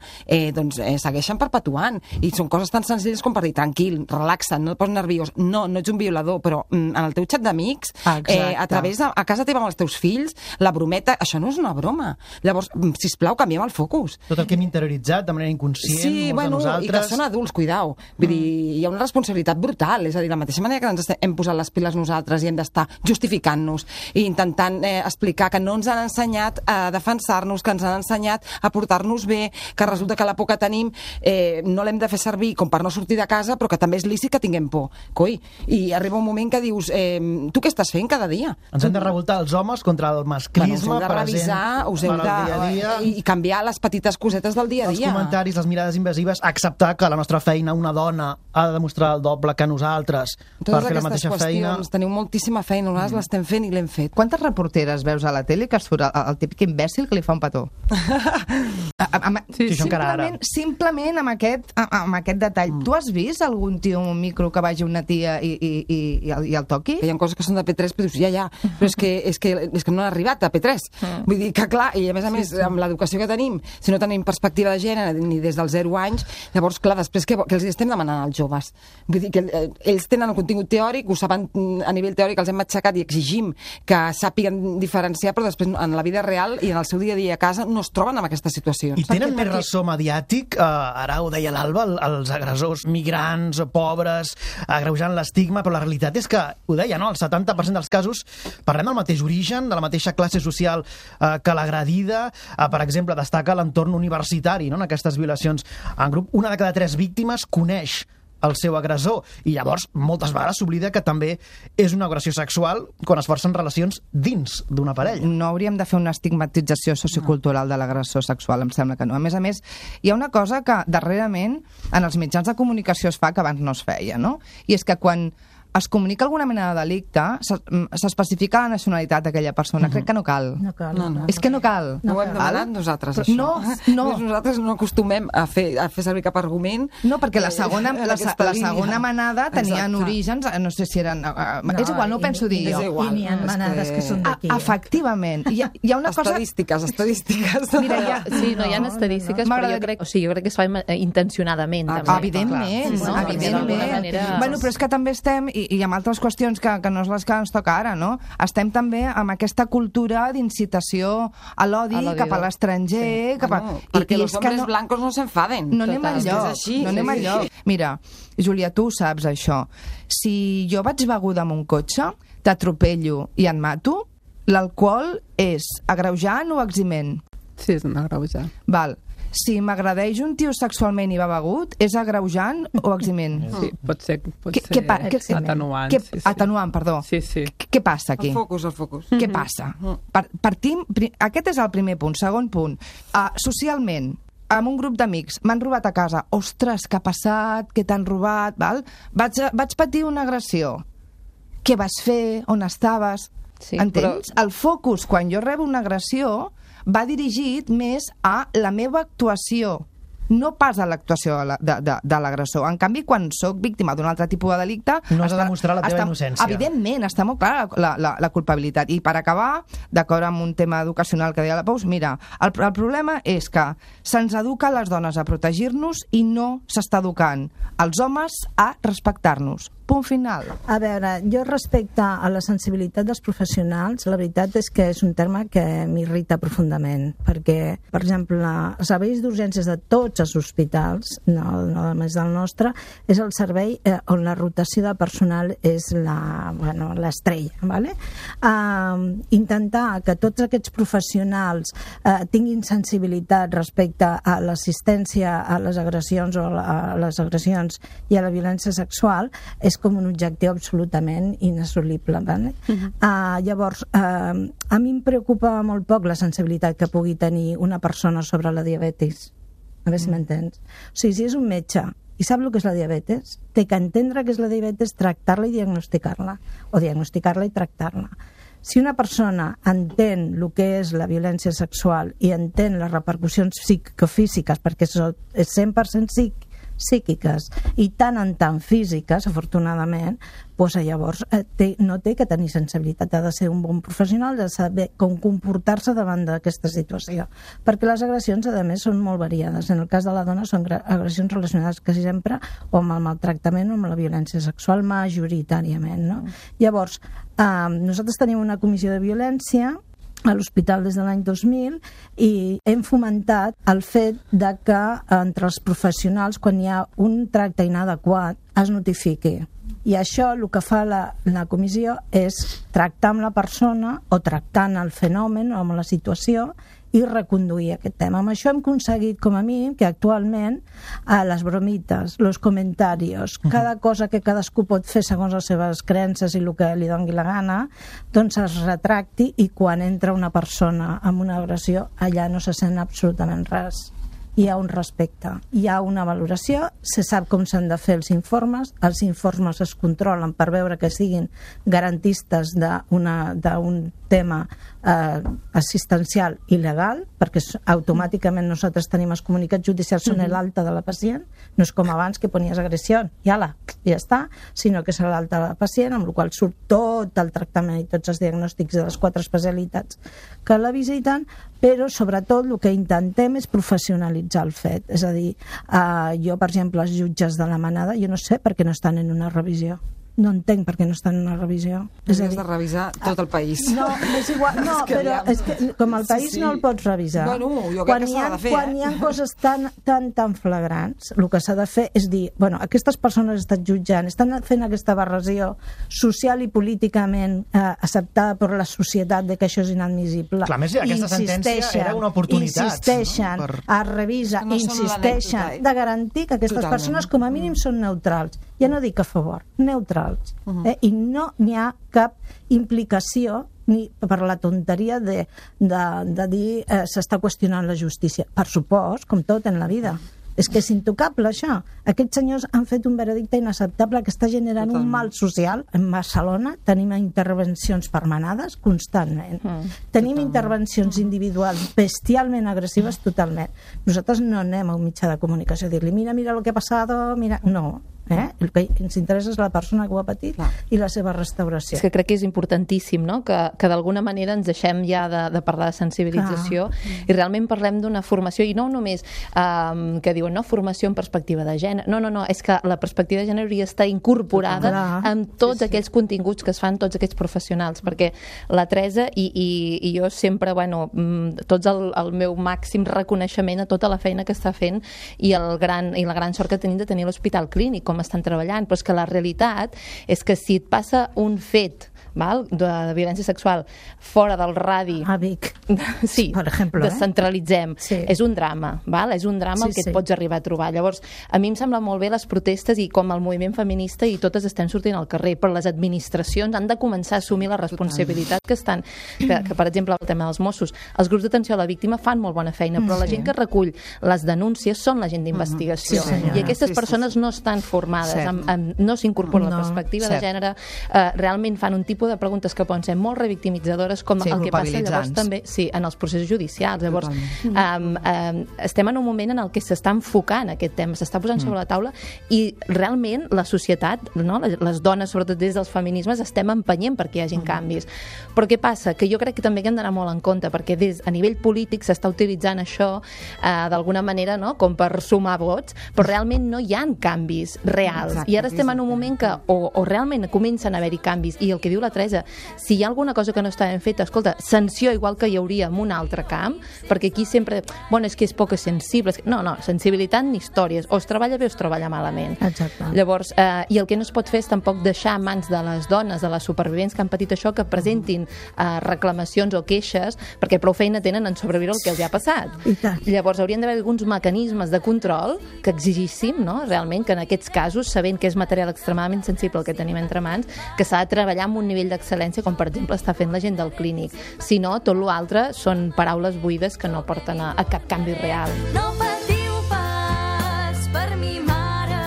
segueixen perpetuant. I són coses tan senzilles com per dir, tranquil, relaxa't, no et posis nerviós. No ets un violador, però en el teu xat d'amics, a través a casa teva amb els teus fills, la brometa, això no és una broma. Llavors, sisplau, canviem el focus. Tot el que hem interioritzat de manera inconscient, sí, molts de nosaltres... i que són adults, cuidao. Vull dir, hi ha una responsabilitat brutal, és a dir, la mateixa manera que ens hem posat les piles nosaltres i hem d'estar justificant-nos i intentant explicar que no ens han ensenyat a defensar-nos, que ens han ensenyat a portar-nos bé, que resulta que la por que tenim no l'hem de fer servir com per no sortir de casa, però que també és lícit que tinguem por. Coi, i arriba un moment que dius, tu què estàs fent cada dia? Ens hem de revoltar els homes contra el masclisme present us heu de i canviar les petites cosetes del dia a dia. Els comentaris, les mirades invasives, acceptar que a la nostra feina una dona ha de demostrar el doble que nosaltres per fer la mateixa feina. Teniu moltíssima feina, nosaltres l'estem fent i l'hem fet. Quantes reporteres veus a la tele que surt el típic imbècil que li fa un petó? Simplement amb aquest detall. Tu has vist algun tio amb un micro que vagi una tia i el toqui? Hi ha coses que són de P3, però dius, ja, però és que no han arribat a P3. Vull dir que, clar, i a més, amb l'educació que tenim, si no tenim perspectiva de gènere ni des dels 0 anys, llavors, clar, després que els estem demanant als joves? Vull dir que ells tenen el contingut teòric, ho saben a nivell teòric, els hem aixecat i exigim que sàpiguen diferenciar, però després en la vida real i en el seu dia a dia a casa no es troben en aquesta situació. I tenen més ressò mediàtic, ara ho deia l'Alba, els agressors migrants, pobres, agreujant l'estigma, però la realitat és que, ho deia, no? El 70% dels casos parlem del mateix origen, de la mateixa classe social que l'agredida. Per exemple, destaca l'entorn universitari, no? En aquestes violacions en grup. 1 de cada 3 víctimes coneix el seu agressor i llavors moltes vegades s'oblida que també és una agressió sexual quan es forcen relacions dins d'una parella. No hauríem de fer una estigmatització sociocultural de l'agressor sexual, em sembla que no. A més, hi ha una cosa que darrerament en els mitjans de comunicació es fa que abans no es feia, no? I és que quan es comunica alguna mena de delicte, s'especifica la nacionalitat d'aquella persona. Crec que no cal. No cal. És que no cal. No ho hem demanat nosaltres, això. No. Nosaltres no acostumem a fer servir cap argument. No, perquè la segona manada tenien orígens, no sé si eren... És igual, no ho penso dir jo. I n'hi ha manades que són d'aquí. Efectivament. Hi ha una cosa... Estadístiques. Mira, sí, no hi ha estadístiques, però jo crec que es fa intencionadament. Evidentment. Bueno, però és que també estem, i amb altres qüestions que no és les que ens toca ara, no? Estem també amb aquesta cultura d'incitació a l'odi cap a l'estranger... Perquè els hombres blancos no s'enfaden. No anem enlloc. Mira, Júlia, tu saps això. Si jo vaig beguda amb un cotxe, t'atropello i et mato, l'alcohol és agreujant o eximent? Sí, és un agreujant. Val. Si m'agradeix un tio sexualment i va begut, és agreujant o eximent? Sí, pot ser atenuant. Atenuant, perdó. Sí. Què passa aquí? El focus. Què passa? Aquest és el primer punt. Segon punt. Socialment, amb un grup d'amics, m'han robat a casa. Ostres, què ha passat? Què t'han robat? Val? Vaig patir una agressió. Què vas fer? On estaves? Entens? El focus, quan jo rebo una agressió, va dirigit més a la meva actuació, no pas a l'actuació de l'agressor. En canvi, quan sóc víctima d'un altre tipus de delicte... No has de demostrar la teva innocència. Evidentment, està molt clara la culpabilitat. I per acabar, d'acord amb un tema educacional que deia la Pous, mira, el problema és que se'ns educa les dones a protegir-nos i no s'està educant els homes a respectar-nos. Punt final. A veure, jo respecte a la sensibilitat dels professionals, la veritat és que és un terme que m'irrita profundament, perquè, per exemple, els serveis d'urgències de tots els hospitals, no només del nostre, és el servei on la rotació de personal és l'estrella, ¿vale? Intentar que tots aquests professionals tinguin sensibilitat respecte a l'assistència a les agressions o a les agressions i a la violència sexual és com un objectiu absolutament inassolible. ¿Vale? Llavors, a mi em preocupa molt poc la sensibilitat que pugui tenir una persona sobre la diabetis. A veure si m'entens. O sigui, si és un metge i sap el que és la diabetes, té que entendre què és la diabetes, tractar-la i diagnosticar-la, o diagnosticar-la i tractar-la. Si una persona entén el que és la violència sexual i entén les repercussions psicofísiques, perquè és 100% psíquiques i tant en tant físiques, afortunadament, doncs llavors no té que tenir sensibilitat, ha de ser un bon professional, de saber com comportar-se davant d'aquesta situació, perquè les agressions, a més, són molt variades. En el cas de la dona són agressions relacionades quasi sempre o amb el maltractament o amb la violència sexual, majoritàriament, no? Llavors, nosaltres tenim una comissió de violència a l'hospital des de l'any 2000 i hem fomentat el fet de que entre els professionals, quan hi ha un tracte inadequat, es notifiqui. I això el que fa la comissió és tractar amb la persona o tractant el fenomen o amb la situació i reconduir aquest tema. Amb això hem aconseguit, com a mínim, que actualment les bromites, els comentaris, cada cosa que cadascú pot fer segons les seves creences i el que li doni la gana, doncs es retracti, i quan entra una persona amb una agressió, allà no se sent absolutament res. Hi ha un respecte, hi ha una valoració, se sap com s'han de fer els informes es controlen per veure que siguin garantistes d'un tema assistencial i legal, perquè automàticament nosaltres tenim els comunicats judicials són l'alta de la pacient, no és com abans que ponies agressió i ja està, sinó que és l'alta de la pacient, amb la qual surt tot el tractament i tots els diagnòstics de les 4 especialitats que la visiten, però sobretot el que intentem és professionalitzar el fet. És a dir, jo, per exemple, els jutges de la manada, jo no sé per què no estan en una revisió. No entenc per què no estan en una revisió. Hauries de revisar tot el país. No, és igual, no, però és que com el país no el pots revisar. Bueno, jo crec que s'ha de fer. Quan hi ha coses tan flagrants, el que s'ha de fer és dir, bueno, aquestes persones estan jutjant, estan fent aquesta barresió social i políticament acceptada per la societat de que això és inadmissible. Clar, més aquesta sentència era una oportunitat. Insisteixen, es revisa, insisteixen de garantir que aquestes persones com a mínim són neutrals. Ja no dic a favor, neutrals. I no n'hi ha cap implicació ni per la tonteria de dir s'està qüestionant la justícia. Per supost, com tot en la vida. És que és intocable, això. Aquests senyors han fet un veredicte inacceptable que està generant un mal social. En Barcelona tenim intervencions permanades constantment. Tenim intervencions individuals bestialment agressives totalment. Nosaltres no anem a un mitjà de comunicació a dir-li mira el que ha passat, mira... No. El que ens interessa és la persona que ho ha patit i la seva restauració. És que crec que és importantíssim, no? que d'alguna manera ens deixem ja de parlar de sensibilització i realment parlem d'una formació, i no només que diuen formació en perspectiva de gènere, no, és que la perspectiva de gènere hauria d'estar incorporada en tots aquells continguts que es fan tots aquests professionals, perquè la Teresa i jo sempre, tots el meu màxim reconeixement a tota la feina que està fent i la gran sort que tenim de tenir l'Hospital Clínic, com estan treballant, però és que la realitat és que si et passa un fet de violència sexual fora del radi a Vic, sí, per exemple, descentralitzem, és un drama, és un drama el que et pots arribar a trobar. Llavors, a mi em sembla molt bé les protestes i com el moviment feminista i totes estem sortint al carrer, però les administracions han de començar a assumir la responsabilitat que estan, que per exemple el tema dels Mossos, els grups d'atenció a la víctima fan molt bona feina, però la gent que recull les denúncies són la gent d'investigació i aquestes persones no estan formades, no s'incorpora la perspectiva de gènere, realment fan un tipus de preguntes que poden ser molt revictimitzadores, com el que passa llavors també en els processos judicials. Llavors, estem en un moment en el que s'està enfocant aquest tema, s'està posant sobre la taula i realment la societat, les dones, sobretot des dels feminismes, estem empenyent perquè hi hagin canvis. Però què passa? Que jo crec que també hem d'anar molt en compte, perquè a nivell polític s'està utilitzant això d'alguna manera com per sumar vots, però realment no hi ha canvis reals. I ara estem en un moment que o realment comencen a haver-hi canvis, i el que diu la Teresa, si hi ha alguna cosa que no està ben feta, escolta, sanció igual que hi hauria en un altre camp, perquè aquí sempre, és que és poc sensible. No, sensibilitat ni històries. O es treballa bé o es treballa malament. Exacte. Llavors, i el que no es pot fer és tampoc deixar a mans de les dones, de les supervivents que han patit això, que presentin reclamacions o queixes, perquè prou feina tenen en sobreviure el que els ha passat. Llavors, haurien d'haver alguns mecanismes de control que exigissin, realment, que en aquests casos, sabent que és material extremadament sensible el que tenim entre mans, que s'ha de treballar amb un nivell d'excel·lència, com per exemple està fent la gent del Clínic. Si no, tot l'altre són paraules buides que no porten a cap canvi real. No patiu pas per mi mare,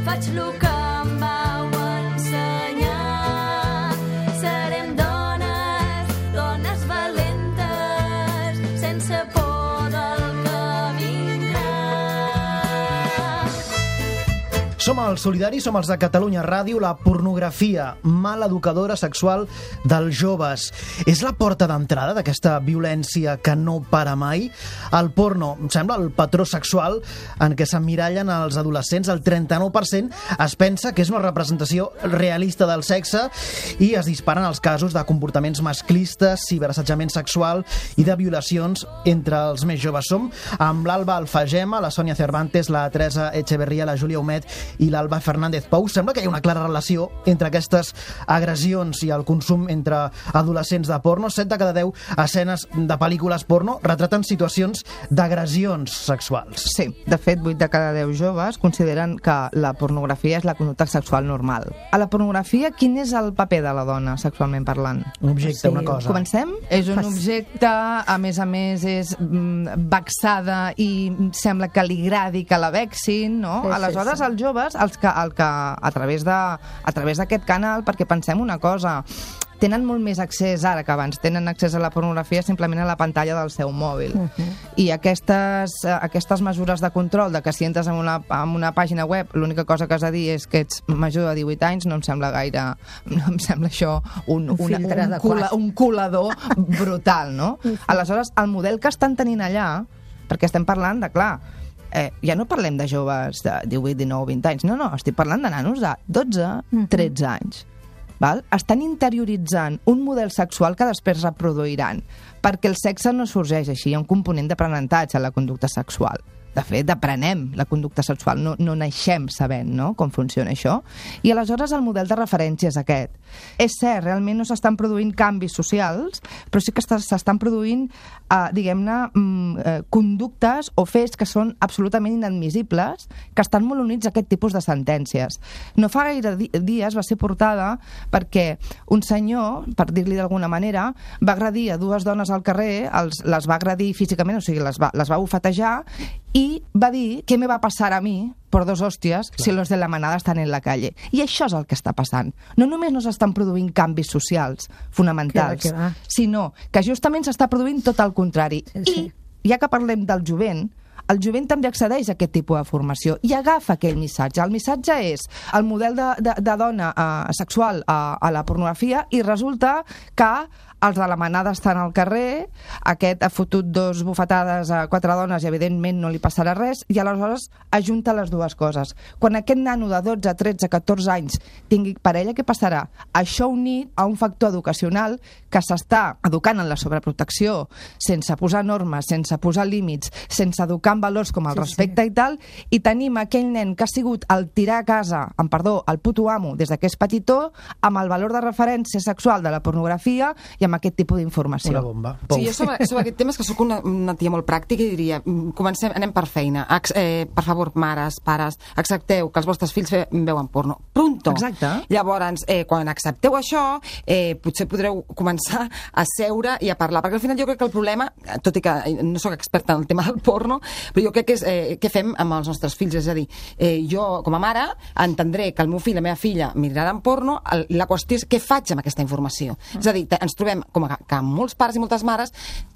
faig lo que em vau ensenyar. Serem dones valentes, sense por del que vindrà. Som els solidaris, som els de Catalunya Ràdio. La pornografia, mala educadora sexual dels joves. És la porta d'entrada d'aquesta violència que no para mai? El porno, em sembla, el patró sexual en què s'emmirallen els adolescents. El 39% es pensa que és una representació realista del sexe i es disparen els casos de comportaments masclistes, ciberassetjament sexual i de violacions entre els més joves. Som amb l'Alba Alfagema, la Sònia Cervantes, la Teresa Echeverría, la Júlia Humet i l'Alba Fernández Pou. Sembla que hi ha una clara relació entre aquestes agressions i el consum entre adolescents de porno. 7 de cada 10 escenes de pel·lícules porno retraten situacions d'agressions sexuals. Sí, de fet, 8 de cada 10 joves consideren que la pornografia és la conducta sexual normal. A la pornografia, quin és el paper de la dona, sexualment parlant? Un objecte, una cosa. Comencem? És un objecte, a més, és vexada i sembla que li agradi que la vexin, no? Sí, Aleshores, sí. els joves, el que a través d'aquest canal, perquè pensem una cosa, tenen molt més accés ara que abans, tenen accés a la pornografia simplement a la pantalla del seu mòbil. I aquestes mesures de control, de que si entres en una pàgina web l'única cosa que has de dir és que ets major de 18 anys, no em sembla gaire... No em sembla això un colador brutal, no? Aleshores, el model que estan tenint allà, perquè estem parlant de, clar, ja no parlem de joves de 18, 19, 20 anys, no, estic parlant de nanos de 12, 13 anys. Val? Estan interioritzant un model sexual que després reproduiran, perquè el sexe no sorgeix així, hi ha un component d'aprenentatge a la conducta sexual. De fet, aprenem la conducta sexual, no naixem sabent, no?, com funciona això. I aleshores el model de referència és aquest. És cert, realment no s'estan produint canvis socials, però sí que s'estan produint, diguem-ne, conductes o fets que són absolutament inadmissibles, que estan molt units a aquest tipus de sentències. No fa gaire dies va ser portada perquè un senyor, per dir-li d'alguna manera, va agredir a 2 dones al carrer, les va agredir físicament, o sigui, les va bufetejar, i va dir, ¿qué me va a pasar a mí por 2 hostias si los de la manada estan en la calle? I això és el que està passant. No només no s'estan produint canvis socials fonamentals, sinó que justament s'està produint tot el contrari. I, ja que parlem del jovent, el jovent també accedeix a aquest tipus de formació i agafa aquell missatge. El missatge és el model de dona sexual a la pornografia i resulta que els de la manada estan al carrer, aquest ha fotut 2 bufetades a 4 dones i evidentment no li passarà res, i aleshores ajunta les dues coses. Quan aquest nano de 12, 13, 14 anys tingui parella, què passarà? Això unit a un factor educacional que s'està educant en la sobreprotecció, sense posar normes, sense posar límits, sense educar en valors com el respecte i tal, i tenim aquell nen que ha sigut el tirar a casa, amb perdó, el puto amo, des que és petitó, amb el valor de referència sexual de la pornografia i amb aquest tipus d'informació. Una bomba. Sí, jo sobre aquest tema és que sóc una tia molt pràctica i diria, comencem, anem per feina. Per favor, mares, pares, accepteu que els vostres fills veuen porno. Pronto! Exacte. Llavors, quan accepteu això, potser podreu començar a seure i a parlar, perquè al final jo crec que el problema, tot i que no sóc experta en el tema del porno, però jo crec que és què fem amb els nostres fills, és a dir, jo com a mare entendré que el meu fill, la meva filla miraran porno, la qüestió és què faig amb aquesta informació. És a dir, ens trobem com que molts pares i moltes mares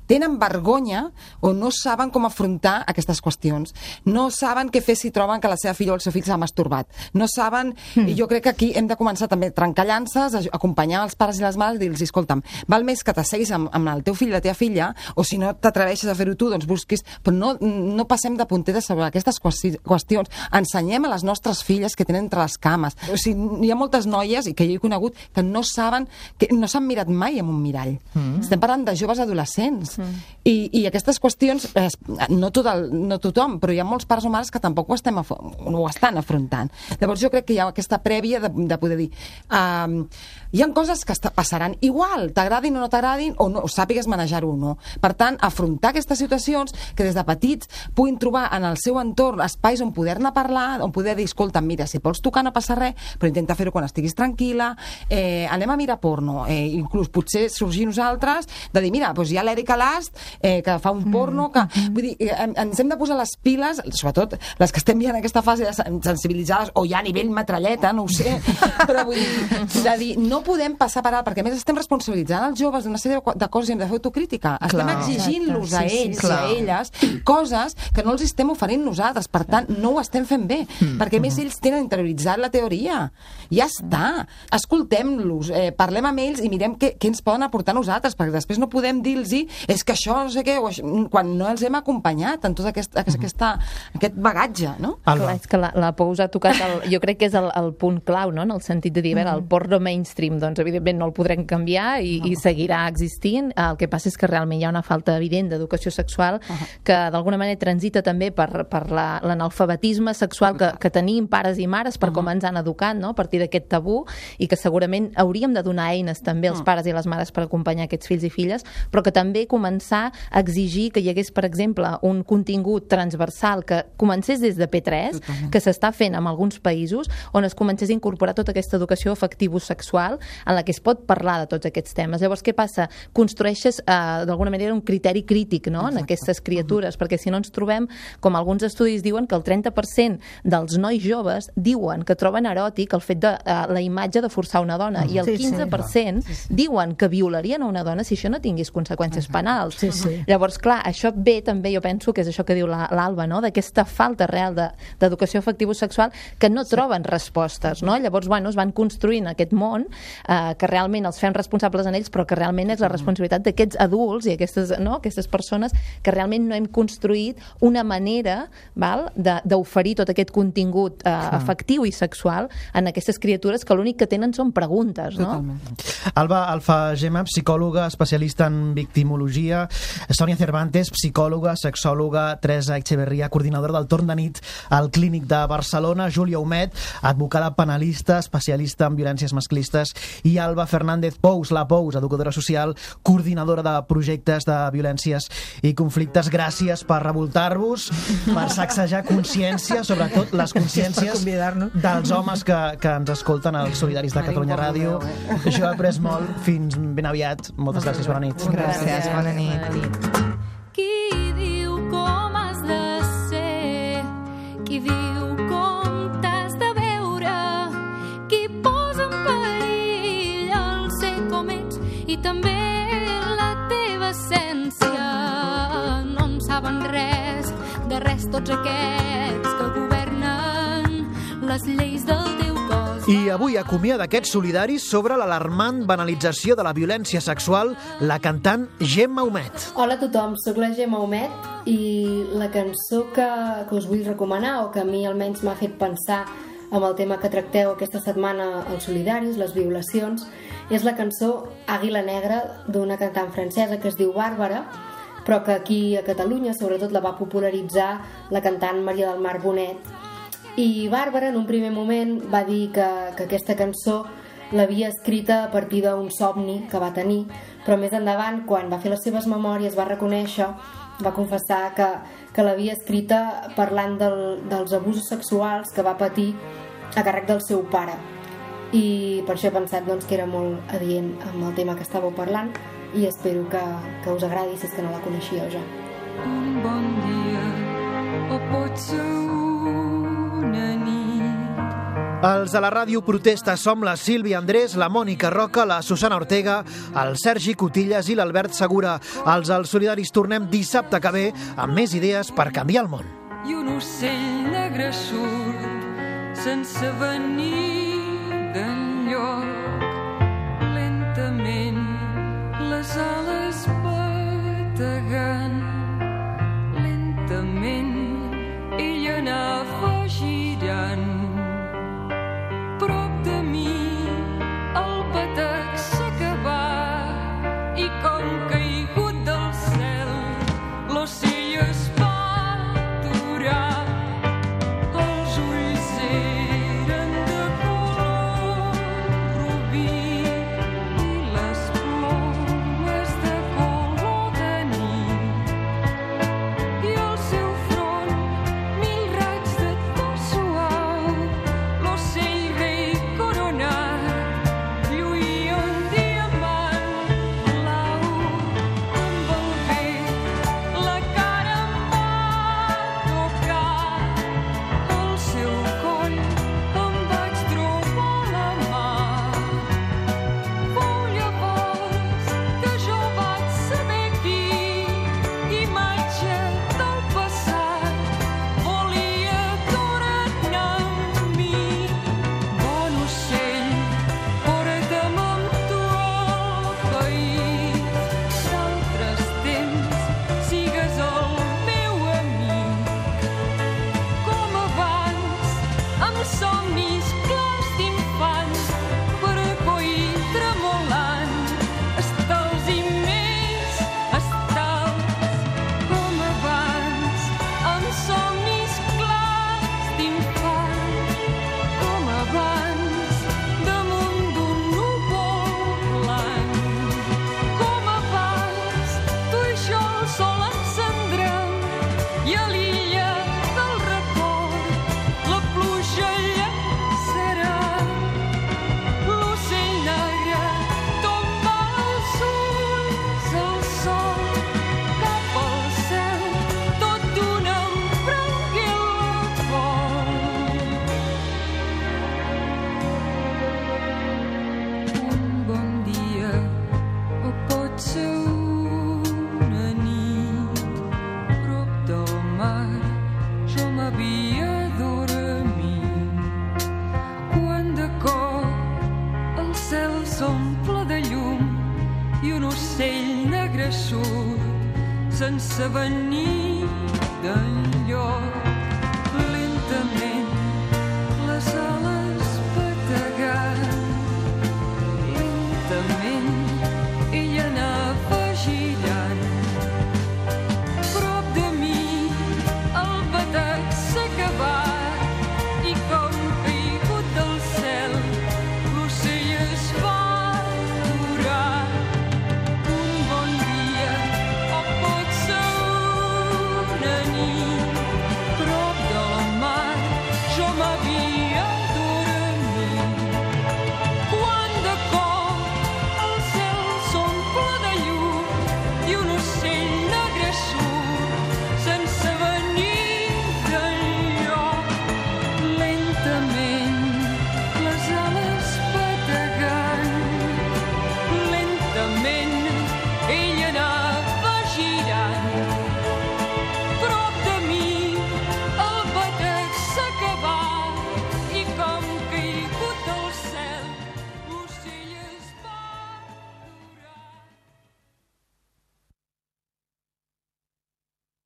tenen vergonya o no saben com afrontar aquestes qüestions. No saben què fer si troben que la seva filla o el seu fill s'ha masturbat. No saben... I jo crec que aquí hem de començar també a trencar llances, a acompanyar els pares i les mares i dir-los, escolta'm, val més que t'asseguis amb el teu fill i la teva filla, o si no t'atreveixes a fer-ho tu, doncs busquis... Però no passem de puntetes sobre aquestes qüestions. Ensenyem a les nostres filles que tenen entre les cames. O sigui, hi ha moltes noies, i que jo he conegut, que no saben, que no s'han mirat mai en un mirall. Estem parlant de joves adolescents. I aquestes qüestions, no tothom, però hi ha molts pares o mares que tampoc ho estan afrontant. Llavors jo crec que hi ha aquesta prèvia de poder dir hi ha coses que passaran igual, t'agradin o no t'agradin, o no, o sàpigues manejar-ho o no. Per tant, afrontar aquestes situacions que des de petits puguin trobar en el seu entorn espais on poder-ne parlar, on poder dir, escolta, mira, si pots tocar no passa res, però intenta fer-ho quan estiguis tranquil·la, anem a mirar porno, inclús potser sorgir nosaltres de dir, mira, doncs hi ha l'Erika Last, que fa un porno, que... Vull dir, ens hem de posar les piles, sobretot les que estem ja en aquesta fase de sensibilitzades, o ja a nivell metralleta, no ho sé, però vull dir, de dir, no podem passar per alt, perquè a més estem responsabilitzant els joves d'una sèrie de coses i hem de fer autocrítica. Estem exigint-los a ells i a elles coses que no els estem oferint nosaltres, per tant, no ho estem fent bé, perquè a més ells tenen interioritzat la teoria. Ja està. Escoltem-los, parlem amb ells i mirem què ens poden aportar nosaltres, perquè després no podem dir-los és que això no sé què, quan no els hem acompanyat en tot aquest bagatge, no? Clar, és que la Pou ha tocat, jo crec que és el punt clau, no?, en el sentit de dir, el porno mainstream, doncs evidentment no el podrem canviar i seguirà existint. El que passa és que realment hi ha una falta evident d'educació sexual que d'alguna manera transita també per l'analfabetisme sexual que tenim pares i mares per com ens han educat, no?, a partir d'aquest tabú, i que segurament hauríem de donar eines també als pares i les mares per acompanyar aquests fills i filles, però que també començar a exigir que hi hagués, per exemple, un contingut transversal que comencés des de P3, que s'està fent en alguns països, on es comencés a incorporar tota aquesta educació afectivo-sexual en la que es pot parlar de tots aquests temes. Llavors, què passa? Construeixes d'alguna manera un criteri crític, no?, en aquestes criatures, perquè si no ens trobem, com alguns estudis diuen, que el 30% dels nois joves diuen que troben eròtic el fet de la imatge de forçar una dona, i el 15% diuen que violarien a una dona si això no tingués conseqüències penals. Llavors, clar, això ve també, jo penso que és això que diu l'Alba, no?, d'aquesta falta real d'educació afectivo-sexual que no troben respostes, no? Llavors, bueno, es van construint aquest món que realment els fem responsables en ells, però que realment és la responsabilitat d'aquests adults i aquestes persones que realment no hem construït una manera d'oferir tot aquest contingut afectiu i sexual en aquestes criatures que l'únic que tenen són preguntes, no? Alba Alfagema, psicòloga especialista en victimologia, Sònia Cervantes, psicòloga, sexòloga, Teresa Echeverría, coordinadora del torn de nit al Clínic de Barcelona, Júlia Humet, advocada penalista, especialista en violències masclistes, i Alba Fernández Pous, la Pous, educadora social, coordinadora de projectes de violències i conflictes. Gràcies per revoltar-vos, per sacsejar consciència, sobretot les consciències dels homes que ens escolten als Solidaris de Catalunya Ràdio. Jo he après molt. Fins ben aviat. Moltes gràcies. Bona nit. Gràcies. Bona nit. Qui diu com has de ser, qui diu com t'has de veure, qui posa en perill el ser com ets i també la teva essència. No en saben res, de res tots aquests que governen les lleis del teu cos. I avui acomiada aquests solidaris sobre l'alarmant banalització de la violència sexual la cantant Gemma Humet. Hola a tothom, sóc la Gemma Humet i la cançó que us vull recomanar, o que a mi almenys m'ha fet pensar amb el tema que tracteu aquesta setmana als solidaris, les violacions, és la cançó Àguila Negra d'una cantant francesa que es diu Bàrbara, però que aquí a Catalunya sobretot la va popularitzar la cantant Maria del Mar Bonet. I Bàrbara en un primer moment va dir que aquesta cançó l'havia escrita a partir d'un somni que va tenir, però més endavant, quan va fer les seves memòries, va reconèixer, va confessar que l'havia escrita parlant dels abusos sexuals que va patir a càrrec del seu pare. I per això he pensat que era molt adient amb el tema que estàveu parlant, i espero que us agradi, si és que no la coneixíeu ja. Un bon dia, o potser una nit. Els de la ràdio protesta som la Sílvia Andrés, la Mònica Roca, la Susana Ortega, el Sergi Cotillas i l'Albert Segura. Els Solidaris tornem dissabte que ve amb més idees per canviar el món. I un ocell negre surt sense venir d'enlloc. Lentament les ales bategant, lentament ell anava girant. Prop de mi el batec s'acabà i com caigut del cel l'ocell es va aturar. Els ulls eren de color sense venir d'enlloc. Lentament